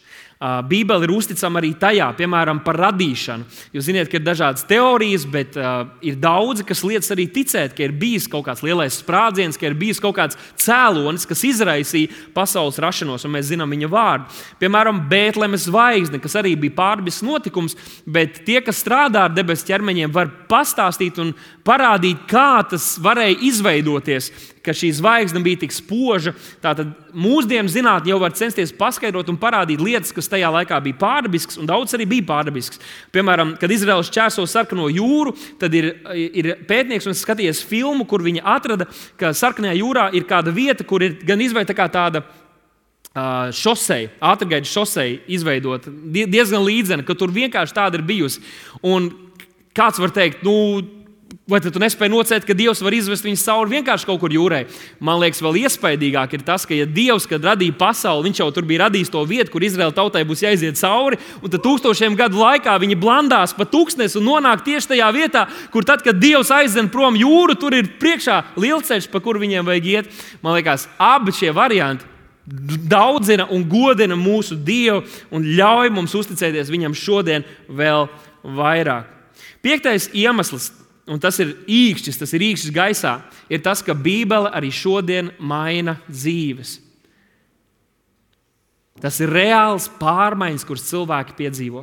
Bībele ir uzticama arī tajā, piemēram, par radīšanu. Jūs zināt, ka ir dažādas teorijas, bet uh, ir daudzi, kas liedz arī ticēt, ka ir bijis kaut kāds lielais sprādziens, ka ir bijis kaut kāds cēlonis, kas izraisīja pasaules rašanos, un mēs zinām viņa vārdu. Piemēram, Bētlemes zvaigzne, kas arī bija pārdabisks notikums, bet tie, kas strādā ar debesu ķermeņiem, var pastāstīt un parādīt, kā tas varēja izveidoties, ka šī zvaigzne bija tik spoža. Tātad mūsdienu zinātne jau var censties paskaidrot un parādīt lietas, kas tajā laikā bija pārdabisks, un daudz arī bija pārdabisks. Piemēram, kad Izraels šķērso sarkano jūru, tad ir, ir pētnieks un skatījies filmu, kur viņi atrada, ka sarkanajā jūrā ir kāda vieta, kur ir gan izveida tā kā tāda uh, šoseja, ātrgaitas šoseja izveidota, diezgan līdzena, ka tur vienkārši tāda ir bijusi. Un kāds var teikt, nu, vai tu nespēji nocēt, ka Dievs var izvest viņus cauri vienkārši kaut kur jūrai? Man liekas, vēl iespaidīgāk ir tas, ka ja Dievs, kad radīja pasauli, viņš jau tur bija radījis to vietu, kur Izraēla tautai būs jāiziet cauri, un tad tūkstošiem gadu laikā viņi blandās pa tūkstnesi un nonāk tieši tajā vietā, kur tad, kad Dievs aizdzen prom jūru, tur ir priekšā lielceļš, pa kuru viņiem vajag iet. Man liekas, abi šie varianti daudzina un godina mūsu Dievu un ļauj mums uzticēties viņam šodien vēl vairāk. Piektais iemesls, un tas ir īkšķis, tas ir īkšķis gaisā, ir tas, ka Bībele arī šodien maina dzīves. Tas ir reāls pārmaiņas, kuras cilvēki piedzīvo.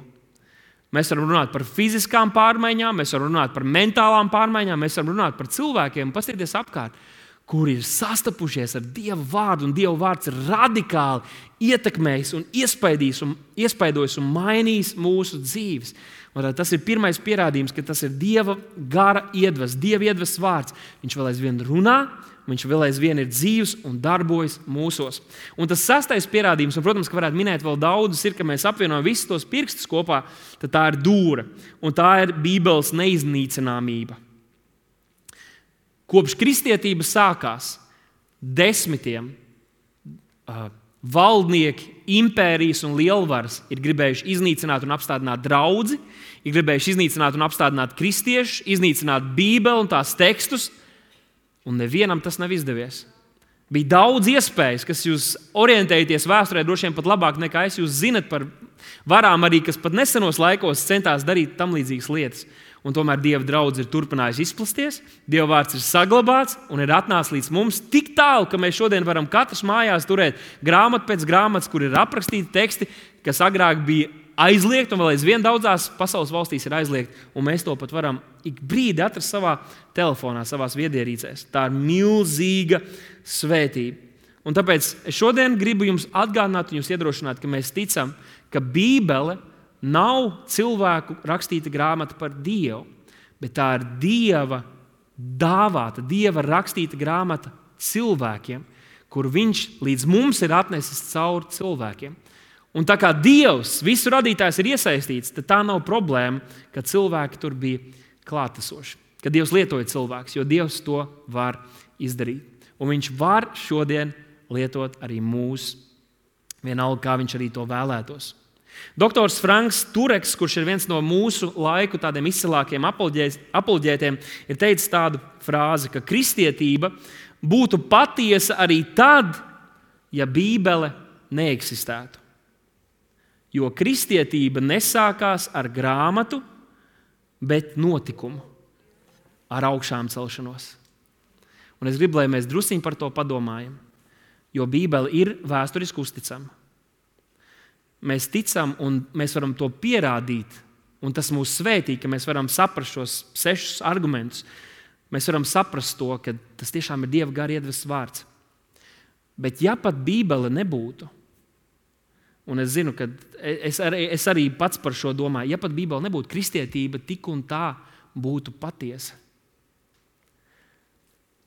Mēs varam runāt par fiziskām pārmaiņām, mēs varam runāt par mentālām pārmaiņām, mēs varam runāt par cilvēkiem, paskatieties apkārt, kuri ir sastapušies ar Dieva vārdu, un Dieva vārds ir radikāli ietekmējis un iespaidījis un, iespaidojis un mainījis mūsu dzīves. Un tas ir pirmais pierādījums, ka tas ir Dieva gara iedvesmas, Dieva iedvesmas vārds. Viņš vēl aizvien runā, viņš vēl aizvien ir dzīvs un darbojas mūsos. Un tas sastais pierādījums, un, protams, ka varētu minēt vēl daudzus, ir, ka mēs apvienojam visus tos pirkstus kopā, tad tā ir dūra. Un tā ir Bībeles neiznīcināmība. Kopš kristietība sākās, desmitiem uh, valdnieki, impērijas un lielvaras ir gribējuši iznīcināt un apstādināt draudzi, ir gribējuši iznīcināt un apstādināt kristiešus, iznīcināt Bībeli un tās tekstus, un nevienam tas nav izdevies. Bija daudz iespējas, kas jūs orientējaties vēsturē droši vien pat labāk nekā es. Jūs zinat par varām arī, kas pat nesenos laikos centās darīt tam līdzīgas lietas. Un tomēr Dieva draudz ir turpinājusi izplasties, Dieva vārds ir saglabāts un ir atnācis līdz mums tik tālu, ka mēs šodien varam katrs mājās turēt grāmatu pēc grāmatas, kur ir aprakstīti teksti, kas agrāk bija aizliegti un vēl aizvien daudzās pasaules valstīs ir aizliegti. Un mēs to pat varam ik brīdi atrast savā telefonā, savās viedierīcēs. Tā ir milzīga svētība. Un tāpēc es šodien gribu jums atgādināt un jūs iedrošināt, ka mēs ticam, ka Bībele nav cilvēku rakstīta grāmata par Dievu, bet tā ir Dieva dāvāta, Dieva rakstīta grāmata cilvēkiem, kur viņš līdz mums ir atnesis cauri cilvēkiem. Un tā kā Dievs, visu radītājs ir iesaistīts, tad tā nav problēma, ka cilvēki tur bija klātesoši. Ka Dievs lietoja cilvēkus, jo Dievs to var izdarīt. Un viņš var šodien lietot arī mūs, vienalga, kā viņš arī to vēlētos. Doktors Franks Tureks, kurš ir viens no mūsu laiku tādiem izcilākiem apoloģētiem, ir teicis tādu frāzi, ka kristietība būtu patiesa arī tad, ja Bībele neeksistētu. Jo kristietība nesākās ar grāmatu, bet notikumu, ar augšām celšanos. Un es gribu, lai mēs drusciņi par to padomājam, jo Bībele ir vēsturiski uzticama. Mēs ticam un mēs varam to pierādīt, un tas mūs svētī, ka mēs varam saprast šos sešus argumentus. Mēs varam saprast to, ka tas tiešām ir Dieva gara iedvesmas vārds. Bet ja pat Bībele nebūtu, un es zinu, ka es arī, es arī pats par šo domāju, ja pat Bībele nebūtu, kristietība tik un tā būtu patiesa.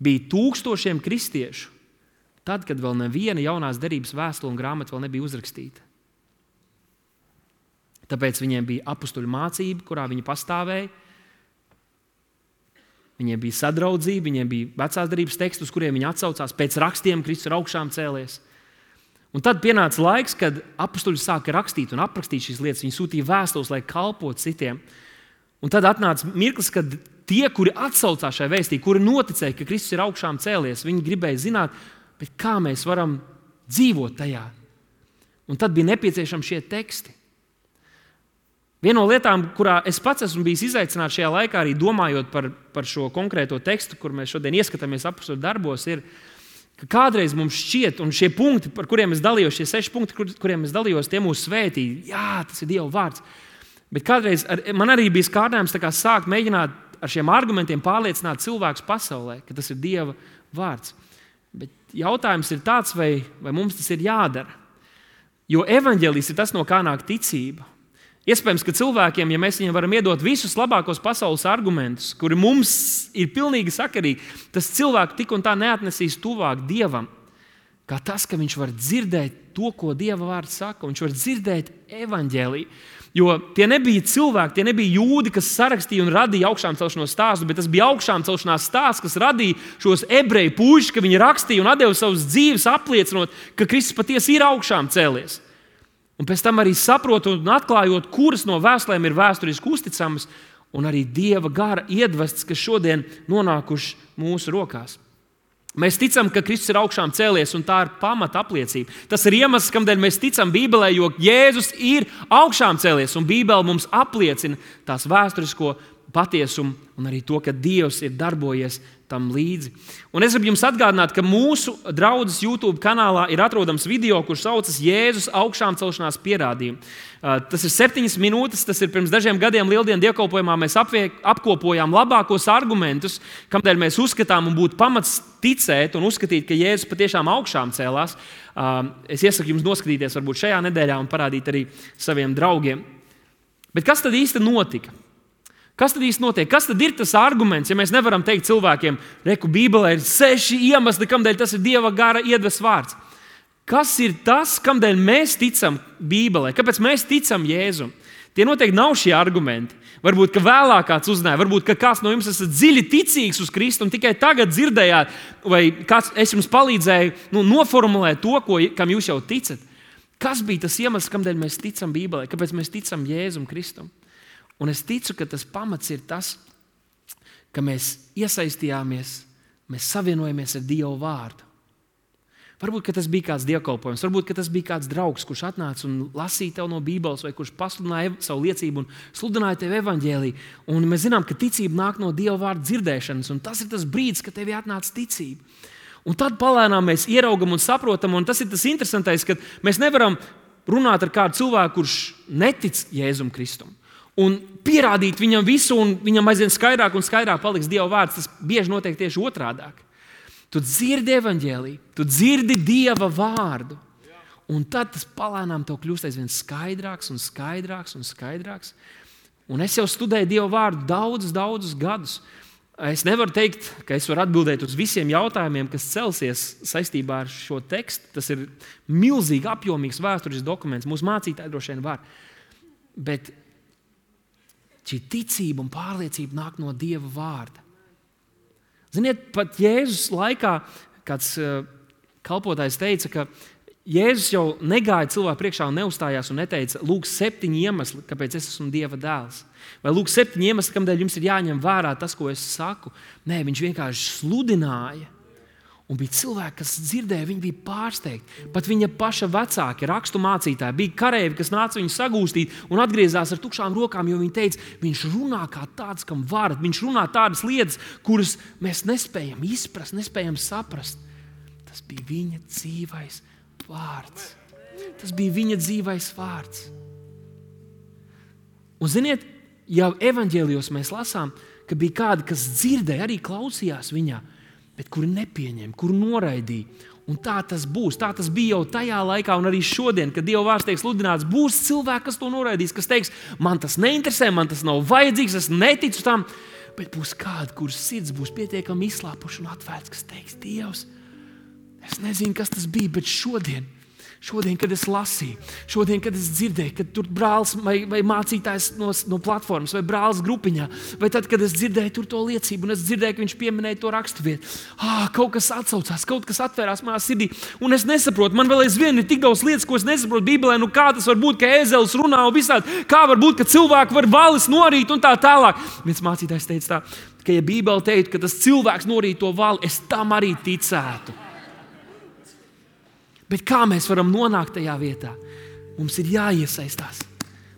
Bija tūkstošiem kristiešu, tad, kad vēl neviena jaunās derības vēstule un grāmata vēl nebija uzrakstīta. Tāpēc viņiem bija apustuļu mācība, kurā viņi pastāvēja. Viņiem bija sadraudzība, viņiem bija vecās derības teksti, uz kuriem viņi atsaucās. Pēc rakstiem Kristus ir augšām cēlies. Un tad pienāca laiks, kad apustuļi sāka rakstīt un aprakstīt šīs lietas. Viņi sūtīja vēstules, lai kalpotu citiem. Un tad atnāca mirklis, kad tie, kuri atsaucās šai vēstī, kuri noticēja, ka Kristus ir augšām cēlies, viņi gribēja zināt, bet kā mēs varam dzīvot tajā. Un tad bija nepieciešami šie teksti. Viena no lietām, kurā es pats esmu bijis izaicināts šajā laikā, arī domājot par, par šo konkrēto tekstu, kur mēs šodien ieskatāmies apostļu darbos, ir, ka kādreiz mums šķiet, un šie punkti, par kuriem es dalījos, šie seši punkti, kur, kuriem es dalījos, tie mūs svētī. Jā, tas ir Dieva vārds. Bet kādreiz ar, man arī bija kārdinājums tā kā sākt mēģināt ar šiem argumentiem pārliecināt cilvēkus pasaulē, ka tas ir Dieva vārds. jautājums ir tāds, vai, vai mums tas ir jādara. Jo evaņģēlijs ir tas, no kā nāk ticība. Iespējams, ka cilvēkiem, ja mēs viņiem varam iedot visus labākos pasaules argumentus, kuri mums ir pilnīgi sakarīgi, tas cilvēku tik un tā neatnesīs tuvāk Dievam, kā tas, ka viņš var dzirdēt to, ko Dieva vārds saka, viņš var dzirdēt evaņģēliju. Jo tie nebija cilvēki, tie nebija jūdi, kas sarakstīja un radīja augšām celšanos stāstu, bet tas bija augšām celšanās stāsts, kas radīja šos ebreju puišus, ka viņi rakstīja un atdeva savas dzīves apliecinot, ka Kristus patiesi ir augšām cēlies. Un pēc tam arī saprotot un atklājot, kuras no vēstulēm ir vēsturiski uzticamas, un arī Dieva gara iedvests, kas šodien nonākuši mūsu rokās. Mēs ticam, ka Kristus ir augšām cēlies, un tā ir pamata apliecība. Tas ir iemesls, kādēļ mēs ticam Bībelē, jo Jēzus ir augšām cēlies, un Bībele mums apliecina tās vēsturisko patiesumu un arī to, ka Dievs ir darbojies tam līdzi. Un es gribu jums atgādināt, ka mūsu draudzes YouTube kanālā ir atrodams video, kurš saucas Jēzus augšām celšanās pierādījumi. Tas ir septiņas minūtes, tas ir pirms dažiem gadiem Lieldienu dievkalpojumā mēs apviek, apkopojām labākos argumentus, kādēļ mēs uzskatām un būtu pamats ticēt un uzskatīt, ka Jēzus patiešām augšām cēlās. Es iesaku jums noskatīties varbūt šajā nedēļā un parādīt arī saviem draugiem. Bet kas tad īsti notika? Kas tad īsti notiek? Kas tad ir tas arguments, ja mēs nevaram teikt cilvēkiem, reku Bībelē ir seši iemesli, kādēļ tas ir Dieva gara iedvests vārds? Kas ir tas, kādēļ mēs ticam Bībelē? Kāpēc mēs ticam Jēzum? Tie noteikti nav šie argumenti. Varbūt, ka vēlāk kāds uzzināja, varbūt, ka kāds no jums esat dziļi ticīgs uz Kristu un tikai tagad dzirdējāt, vai kāds es jums palīdzēju nu, noformulēt to, ko, kam jūs jau ticat. Kas bija tas iemesls, kādēļ mēs ticam Bībelē? Kāpēc mēs ticam Jēzum Kristum? Un es ticu, ka tas pamats ir tas, ka mēs iesaistījāmies, mēs savienojamies ar Dieva vārdu. Varbūt, ka tas bija kāds dievkalpojums, varbūt, ka tas bija kāds draugs, kurš atnāca un lasīja tev no Bībeles, vai kurš pasludināja savu liecību un sludināja tev evaņģēliju. Un mēs zinām, ka ticība nāk no Dieva vārda dzirdēšanas, un tas ir tas brīdis, kad tev atnāca ticība. Un tad palēnām mēs ieraugam un saprotam, un tas ir tas interesantais, ka mēs nevaram runāt ar kādu cilvēku, kurš netic Jēzum Kristum. Un pierādīt viņam visu, un viņam aizvien skaidrāk un skaidrāk paliks Dieva vārds. Tas bieži notiek tieši otrādāk. Tu dzirdi evaņģēliju, tu dzirdi Dieva vārdu. Un tad tas palēnām tev kļūst aizvien skaidrāks un skaidrāks un skaidrāks. Un es jau studēju Dieva vārdu daudzus, daudzus gadus. Es nevaru teikt, ka es varu atbildēt uz visiem jautājumiem, kas celsies saistībā ar šo tekstu. Tas ir milzīgi apjomīgs vēsturisks dokuments. Mūsu mācītāji droši vien var. Bet šī ticība un pārliecība nāk no Dieva vārda. Ziniet, pat Jēzus laikā kāds uh, kalpotājs teica, ka Jēzus jau negāja cilvēku priekšā un neuzstājās un neteica, lūk, septiņi iemesli, kāpēc es esmu Dieva dēls. Vai lūk, septiņi iemesli, kādēļ jums ir jāņem vērā tas, ko es saku. Nē, viņš vienkārši sludināja. Un bija cilvēki, kas dzirdēja, viņi bija pārsteigti. Pat viņa paša vecāki, rakstu mācītāji, bija kareivji, kas nāca viņu sagūstīt un atgriezās ar tukšām rokām, jo viņi teica, viņš runā kā tāds, kam varat. Viņš runā tādas lietas, kuras mēs nespējam izprast, nespējam saprast. Tas bija viņa dzīvais vārds. Tas bija viņa dzīvais vārds. Un ziniet, jau evaņģēlijos mēs lasām, ka bija kādi, kas dzirdēja, arī klausījās viņā, bet kuri nepieņem, kuri noraidīja. Un tā tas būs. Tā tas bija jau tajā laikā un arī šodien, kad Dieva vārds tiek sludināts, būs cilvēki, kas to noraidīs, kas teiks, man tas neinteresē, man tas nav vajadzīgs, es neticu tam, bet būs kādi, kuras sirds būs pietiekami izslāpuši un atvērts, kas teiks, Dievs, es nezinu, kas tas bija, bet šodien, Šodien, kad es lasīju, šodien, kad es dzirdēju, kad tur brālis vai, vai mācītājs no, no platformas vai brālis grupiņā, vai tad, kad es dzirdēju tur to liecību un es dzirdēju, ka viņš pieminēja to raksturvietu, ah, kaut kas atsaucās, kaut kas atvērās manā sirdī, un es nesaprotu, man vēl aizvien ir tik daudz lietas, ko es nesaprotu Bībelē, nu kā tas var būt, ka ēzelis runā un visādi, kā var būt, ka cilvēki var valis norīt un tā tālāk. Viens mācītājs teica tā, ka ja Bībele teiktu, ka tas cilvēks norīt to vali, es tam arī ticētu. Bet kā mēs varam nonākt tajā vietā? Mums ir jāiesaistās.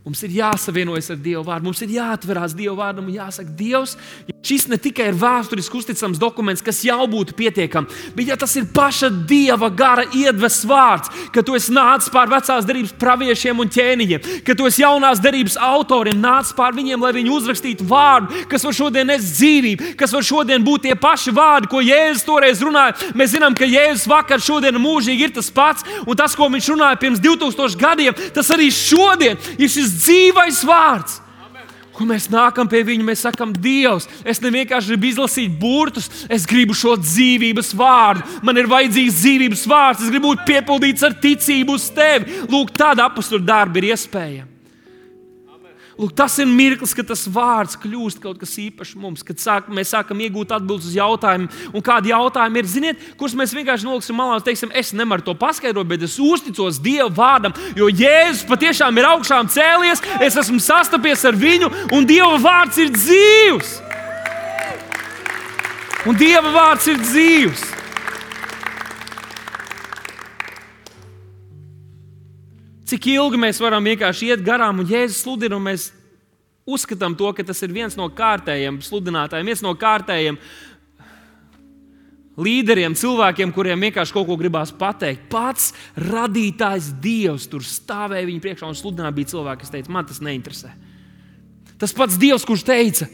Mums ir jāsavienojas ar Dieva vārdu, mums ir jāatverās Dieva vārdam un jāsaka, Dievs, ja šis ne tikai ir vēsturiski uzticams dokuments, kas jau būtu pietiekams, bet ja tas ir paša Dieva gara iedves vārds, ka tu esi nācis pār vecās derības praviešiem un ķēniņiem, ka tu esi jaunās derības autoriem, nācis pār viņiem, lai viņi uzrakstītu vārdu, kas var šodien nes dzīvību, kas var šodien būt tie paši vārdi, ko Jēzus toreiz runāja. Mēs zinām, ka Jēzus vakar, šodien un mūžīgi ir tas pats, un tas, ko viņš runāja pirms divtūkstošiem gadiem, tas arī šodien ir šis dzīvais vārds. Un mēs nākam pie viņa, mēs sakam, Dievs, es ne vienkārši gribu izlasīt burtus, es gribu šo dzīvības vārdu. Man ir vajadzīgs dzīvības vārds, es gribu būt piepildīts ar ticību uz tevi. Lūk, tāda apostoļu darba ir iespējama. Lūk, tas ir mirklis, kad tas vārds kļūst kaut kas īpašs mums, kad sāk, mēs sākam iegūt atbildes uz jautājumiem. Un kādi jautājumi ir, ziniet, kurus mēs vienkārši noliksim malā un teiksim, es nevaru to paskaidrot, bet es uzticos Dieva vārdam, jo Jēzus patiešām ir augšām cēlies, es esmu sastapies ar viņu, un Dieva vārds ir dzīvs. Un Dieva vārds ir dzīvs. Cik ilgi mēs varam vienkārši iet garām un Jēzus sludina, un mēs uzskatām to, ka tas ir viens no kārtējiem sludinātājiem, viens no kārtējiem līderiem, cilvēkiem, kuriem vienkārši kaut ko gribās pateikt. Pats radītājs Dievs tur stāvēja viņa priekšā un sludināja, bija cilvēki, kas teica, man tas neinteresē. Tas pats Dievs, kurš teica,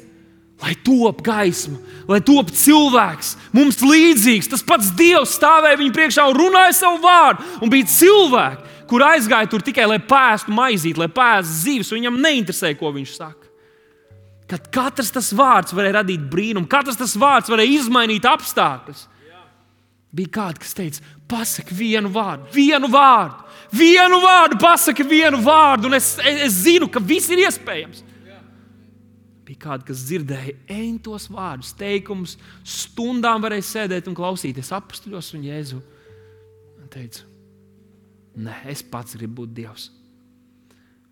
lai top gaisma, lai top cilvēks, mums līdzīgs. Tas pats Dievs stāvēja viņa priekšā un runāja savu vārdu, un bija cilvēki, kur aizgāja tur tikai, lai pēstu maizīti, lai pēstu zivis, un viņam neinteresēja, ko viņš saka. Kad katrs tas vārds varēja radīt brīnumu, katrs tas vārds varēja izmainīt apstākļus. Bija kāds, kas teica, pasaki vienu vārdu, vienu vārdu, vienu vārdu, pasaki vienu vārdu, un es, es zinu, ka viss ir iespējams. Bija kādi, kas dzirdēja entos vārdus, teikumus, stundām varēja sēdēt un klausīties apostoļos un Jēzu. Un teica, nē, es pats gribu būt Dievs.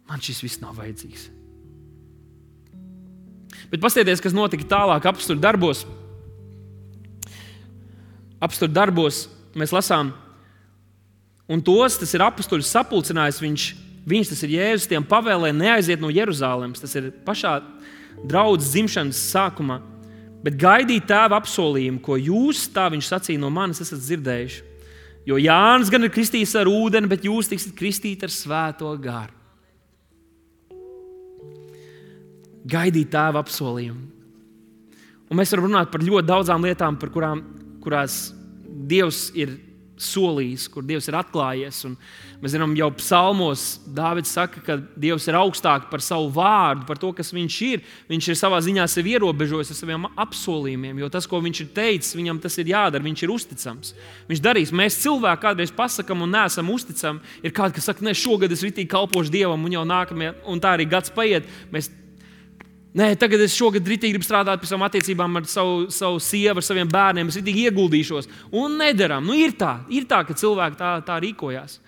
Man šis viss nav vajadzīgs. Bet paskatieties, kas notika tālāk apostoļu darbos. Apostoļu darbos mēs lasām, un tos, tas ir apostoļus sapulcinājis, viņš, viņš, tas ir Jēzus, tiem pavēlēja neaiziet no Jeruzālemes. Tas ir pašā draudzes dzimšanas sākumā. Bet gaidīt tēva apsolījumu, ko jūs, tā viņš sacīja no manis, esat dzirdējuši. Jo Jānis gan ir kristījis ar ūdeni, bet jūs tiksiet kristīti ar svēto garu. Gaidīt tēva apsolījumu. Un mēs varam runāt par ļoti daudzām lietām, par kurām, kurās Dievs ir solījis, kur Dievs ir atklājies. Un mēs zinām, jau psalmos Dāvids saka, ka Dievs ir augstāk par savu vārdu, par to, kas viņš ir. Viņš ir savā ziņā sevi ierobežojis ar saviem apsolījumiem, jo tas, ko viņš ir teicis, viņam tas ir jādara, viņš ir uzticams. Viņš darīs. Mēs cilvēki kādreiz pasakam un neesam uzticami. Ir kādi, kas saka, ne, šogad es ritīgi kalpošu Dievam, un jau nākamajā, un tā arī gads paiet. Mēs Nē, tagad es šogad ritīgi gribu strādāt pie savām attiecībām ar savu, savu sievu, ar saviem bērniem. Es ritīgi ieguldīšos. Un nedaram. Nu, ir tā, ir tā, ka cilvēki tā, tā rīkojās.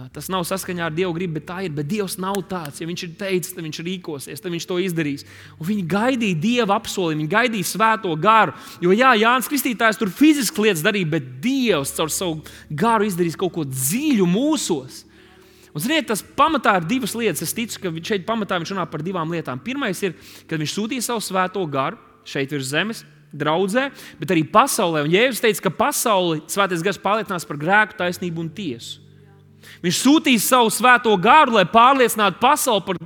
Tas nav saskaņā ar Dievu gribu, bet tā ir. Bet Dievs nav tāds. Ja viņš ir teicis, tad viņš rīkosies, tad viņš to izdarīs. Un viņi gaidīja Dieva apsolījumu, viņi gaidīja svēto garu. Jo jā, Jānis Kristītājs tur fiziski lietas darīja, bet Dievs caur savu garu izdarīs kaut ko dziļu mūsos. Un, ziniet, tas pamatā ir divas lietas. Es ticu, ka šeit pamatā viņš runā par divām lietām. Pirmais ir, kad viņš sūtīja savu svēto garu šeit virs zemes, draudzē, bet arī pasaulē. Un Jēzus teica, ka pasauli svētais gars pārliecinās par grēku, taisnību un tiesu. Viņš sūtīs savu svēto garu, lai pārliecinātu pasauli par,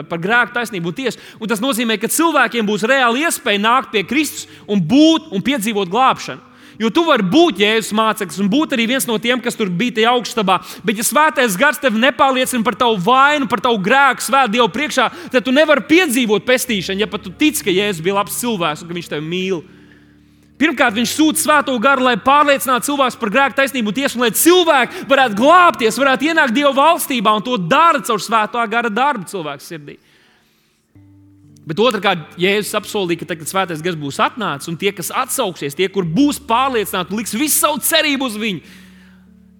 par grēku, taisnību un tiesu. Un tas nozīmē, ka cilvēkiem būs reāli iespēja nākt pie Kristus un būt un piedzīvot glābšanu. Jo tu vari būt Jēzus māceklis un būt arī viens no tiem, kas tur bija tajā augststabā. Bet, ja svētais gars tevi nepārliecina par tavu vainu, par tavu grēku svēt Dievu priekšā, tad tu nevari piedzīvot pestīšanu, ja pat tu tici, ka Jēzus bija labs cilvēks un ka viņš tevi mīl. Pirmkārt, viņš sūta svēto garu, lai pārliecinātu cilvēkus par grēku, taisnību un tiesu, un lai cilvēki varētu glābties, varētu ienākt Dieva valstībā, un to dara caur svētā gara darbu cilvēku sirdī. Bet otrkārt, Jēzus apsolīja, ka tagad svētais gars būs atnācis, un tie, kas atsauksies, tie, kur būs pārliecināti un liks visu savu cerību uz viņu,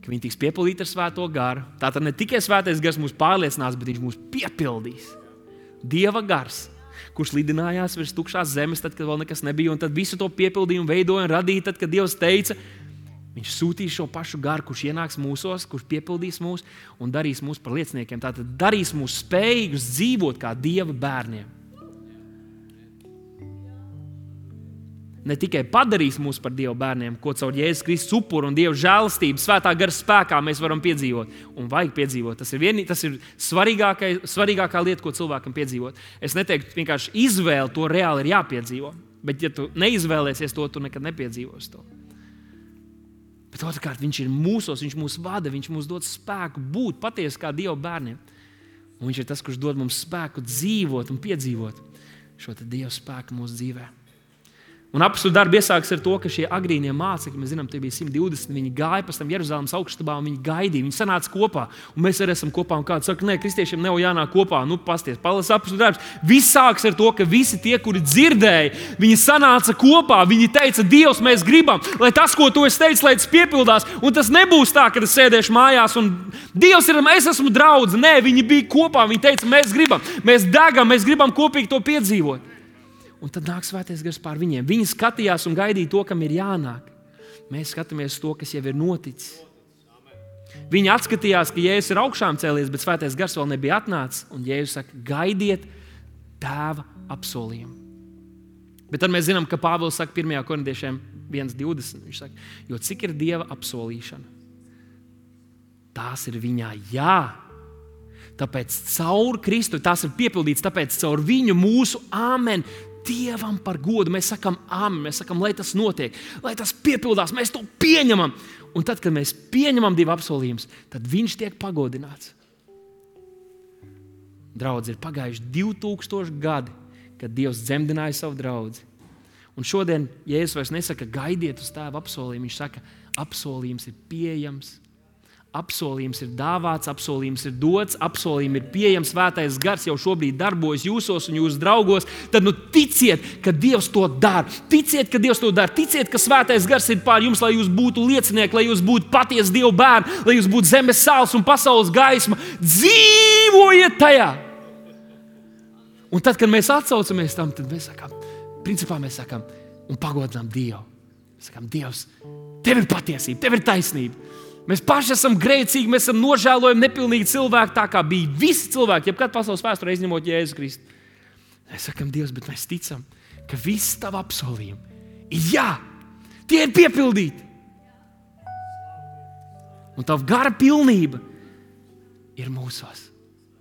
ka viņi tiks piepildīti ar svēto garu. Tātad ne tikai svētais gars mūs pārliecinās, bet viņš mūs piepildīs. Dieva gars, kurš lidinājās virs tukšās zemes, tad, kad vēl nekas nebija, un tad visu to piepildīja un veidoja un radīja, tad, kad Dievs teica, Viņš sūtīs šo pašu garu, kurš ienāks mūsos, kurš piepildīs mūs un darīs mūs par lieciniekiem. Tātad darīs mūs spējīgus dzīvot kā Dieva bērniem. Ne tikai padarīs mūs par Dieva bērniem, ko caur Jēzus Kristus upuru un Dieva žēlastību, svētā gara spēkā mēs varam piedzīvot. Un vajag piedzīvot. Tas ir, vien, tas ir svarīgākā lieta, ko cilvēkam piedzīvot. Es neteiktu, vienkārši izvēle to reāli ir jāpiedzīvo. Bet ja tu neizvēlēsies to, tu nekad nepiedzīvos to. Bet otrkārt, viņš ir mūsos, viņš mūs vada, viņš mums dod spēku būt patiesi kā Dieva bērniem. Un viņš ir tas, kurš dod mums spēku dzīvot un piedzīvot šo te Dieva spēku mūsu dzīvē. Un apostļu darbi iesākas ar to, ka šie agrīnie mācekļi, mēs zinām, tie bija simt divdesmit, viņi gāja pēc tam Jeruzalemes augststabā un viņi gaidīja, viņi sanāca kopā. Un mēs arī esam kopā un kāds saka, nē, kristiešiem nav jānāk kopā. Nu, pasties, palas apostļu darbs. Viss sāks ar to, ka visi tie, kuri dzirdēja, viņi sanāca kopā, viņi teica, Dievs, mēs gribam, lai tas, ko tu esi teicis, lai tas piepildās. Un tas nebūs tā, ka es sēdēšu mājās un Dievs ir, es esmu draudze. Nē, viņi bija kopā, viņi teica, mēs gribam, mēs degam, mēs gribam kopīgi to piedzīvot. Un tad nāk svētais gars pār viņiem. Viņi skatījās un gaidīja to, kam ir jānāk. Mēs skatāmies to, kas jau ir noticis. Viņi atskatījās, ka Jēzus ir augšām cēlies, bet svētais gars vēl nebija atnācis. Un Jēzus saka, gaidiet tēva apsolījumu. Bet tad mēs zinām, ka Pāvils saka pirmajā korintiešiem viens divdesmit. Viņš saka, jo cik ir Dieva apsolīšana, tās ir viņā jā. Tāpēc caur Kristu tās ir piepildīts, tāpēc caur viņu mūsu āmen Dievam par godu. Mēs sakam āmen, mēs sakam, lai tas notiek, lai tas piepildās, mēs to pieņemam. Un tad, kad mēs pieņemam Dieva apsolījumus, tad viņš tiek pagodināts. Draudzi, ir pagājuši divi tūkstoši gadi, kad Dievs dzemdināja savu draudzi. Un šodien Jēzus vairs nesaka, gaidiet uz tēva apsolījumu. Viņš saka, apsolījums ir pieejams. Apsolījums ir dāvāts, apsolījums ir dots, apsolījums ir pieejams, svētais gars jau šobrīd darbojas jūsos un jūsu draugos. Tad nu ticiet, ka Dievs to dara. Ticiet, ka Dievs to dara. Ticiet, ka svētais gars ir pār jums, lai jūs būtu liecinieki, lai jūs būtu patiesi Dieva bērni, lai jūs būtu zemes sāls un pasaules gaisma. Dzīvojiet tajā! Un tad, kad mēs atsaucamies tam, tad mēs sakām, principā mēs sakām un pagodinām Dievu. Mēs sakām, Dievs, tev ir patiesība, tev ir taisnība. Mēs paši esam grēcīgi, mēs esam nožēlojami, nepilnīgi cilvēki, tā kā bija visi cilvēki, jebkad pasaules vēsturē izņemot Jēzu Kristu. Mēs sakam, Dievs, bet mēs ticam, ka viss tava apsolījumi ir jā, tie ir piepildīti. Un tava gara pilnība ir mūsos.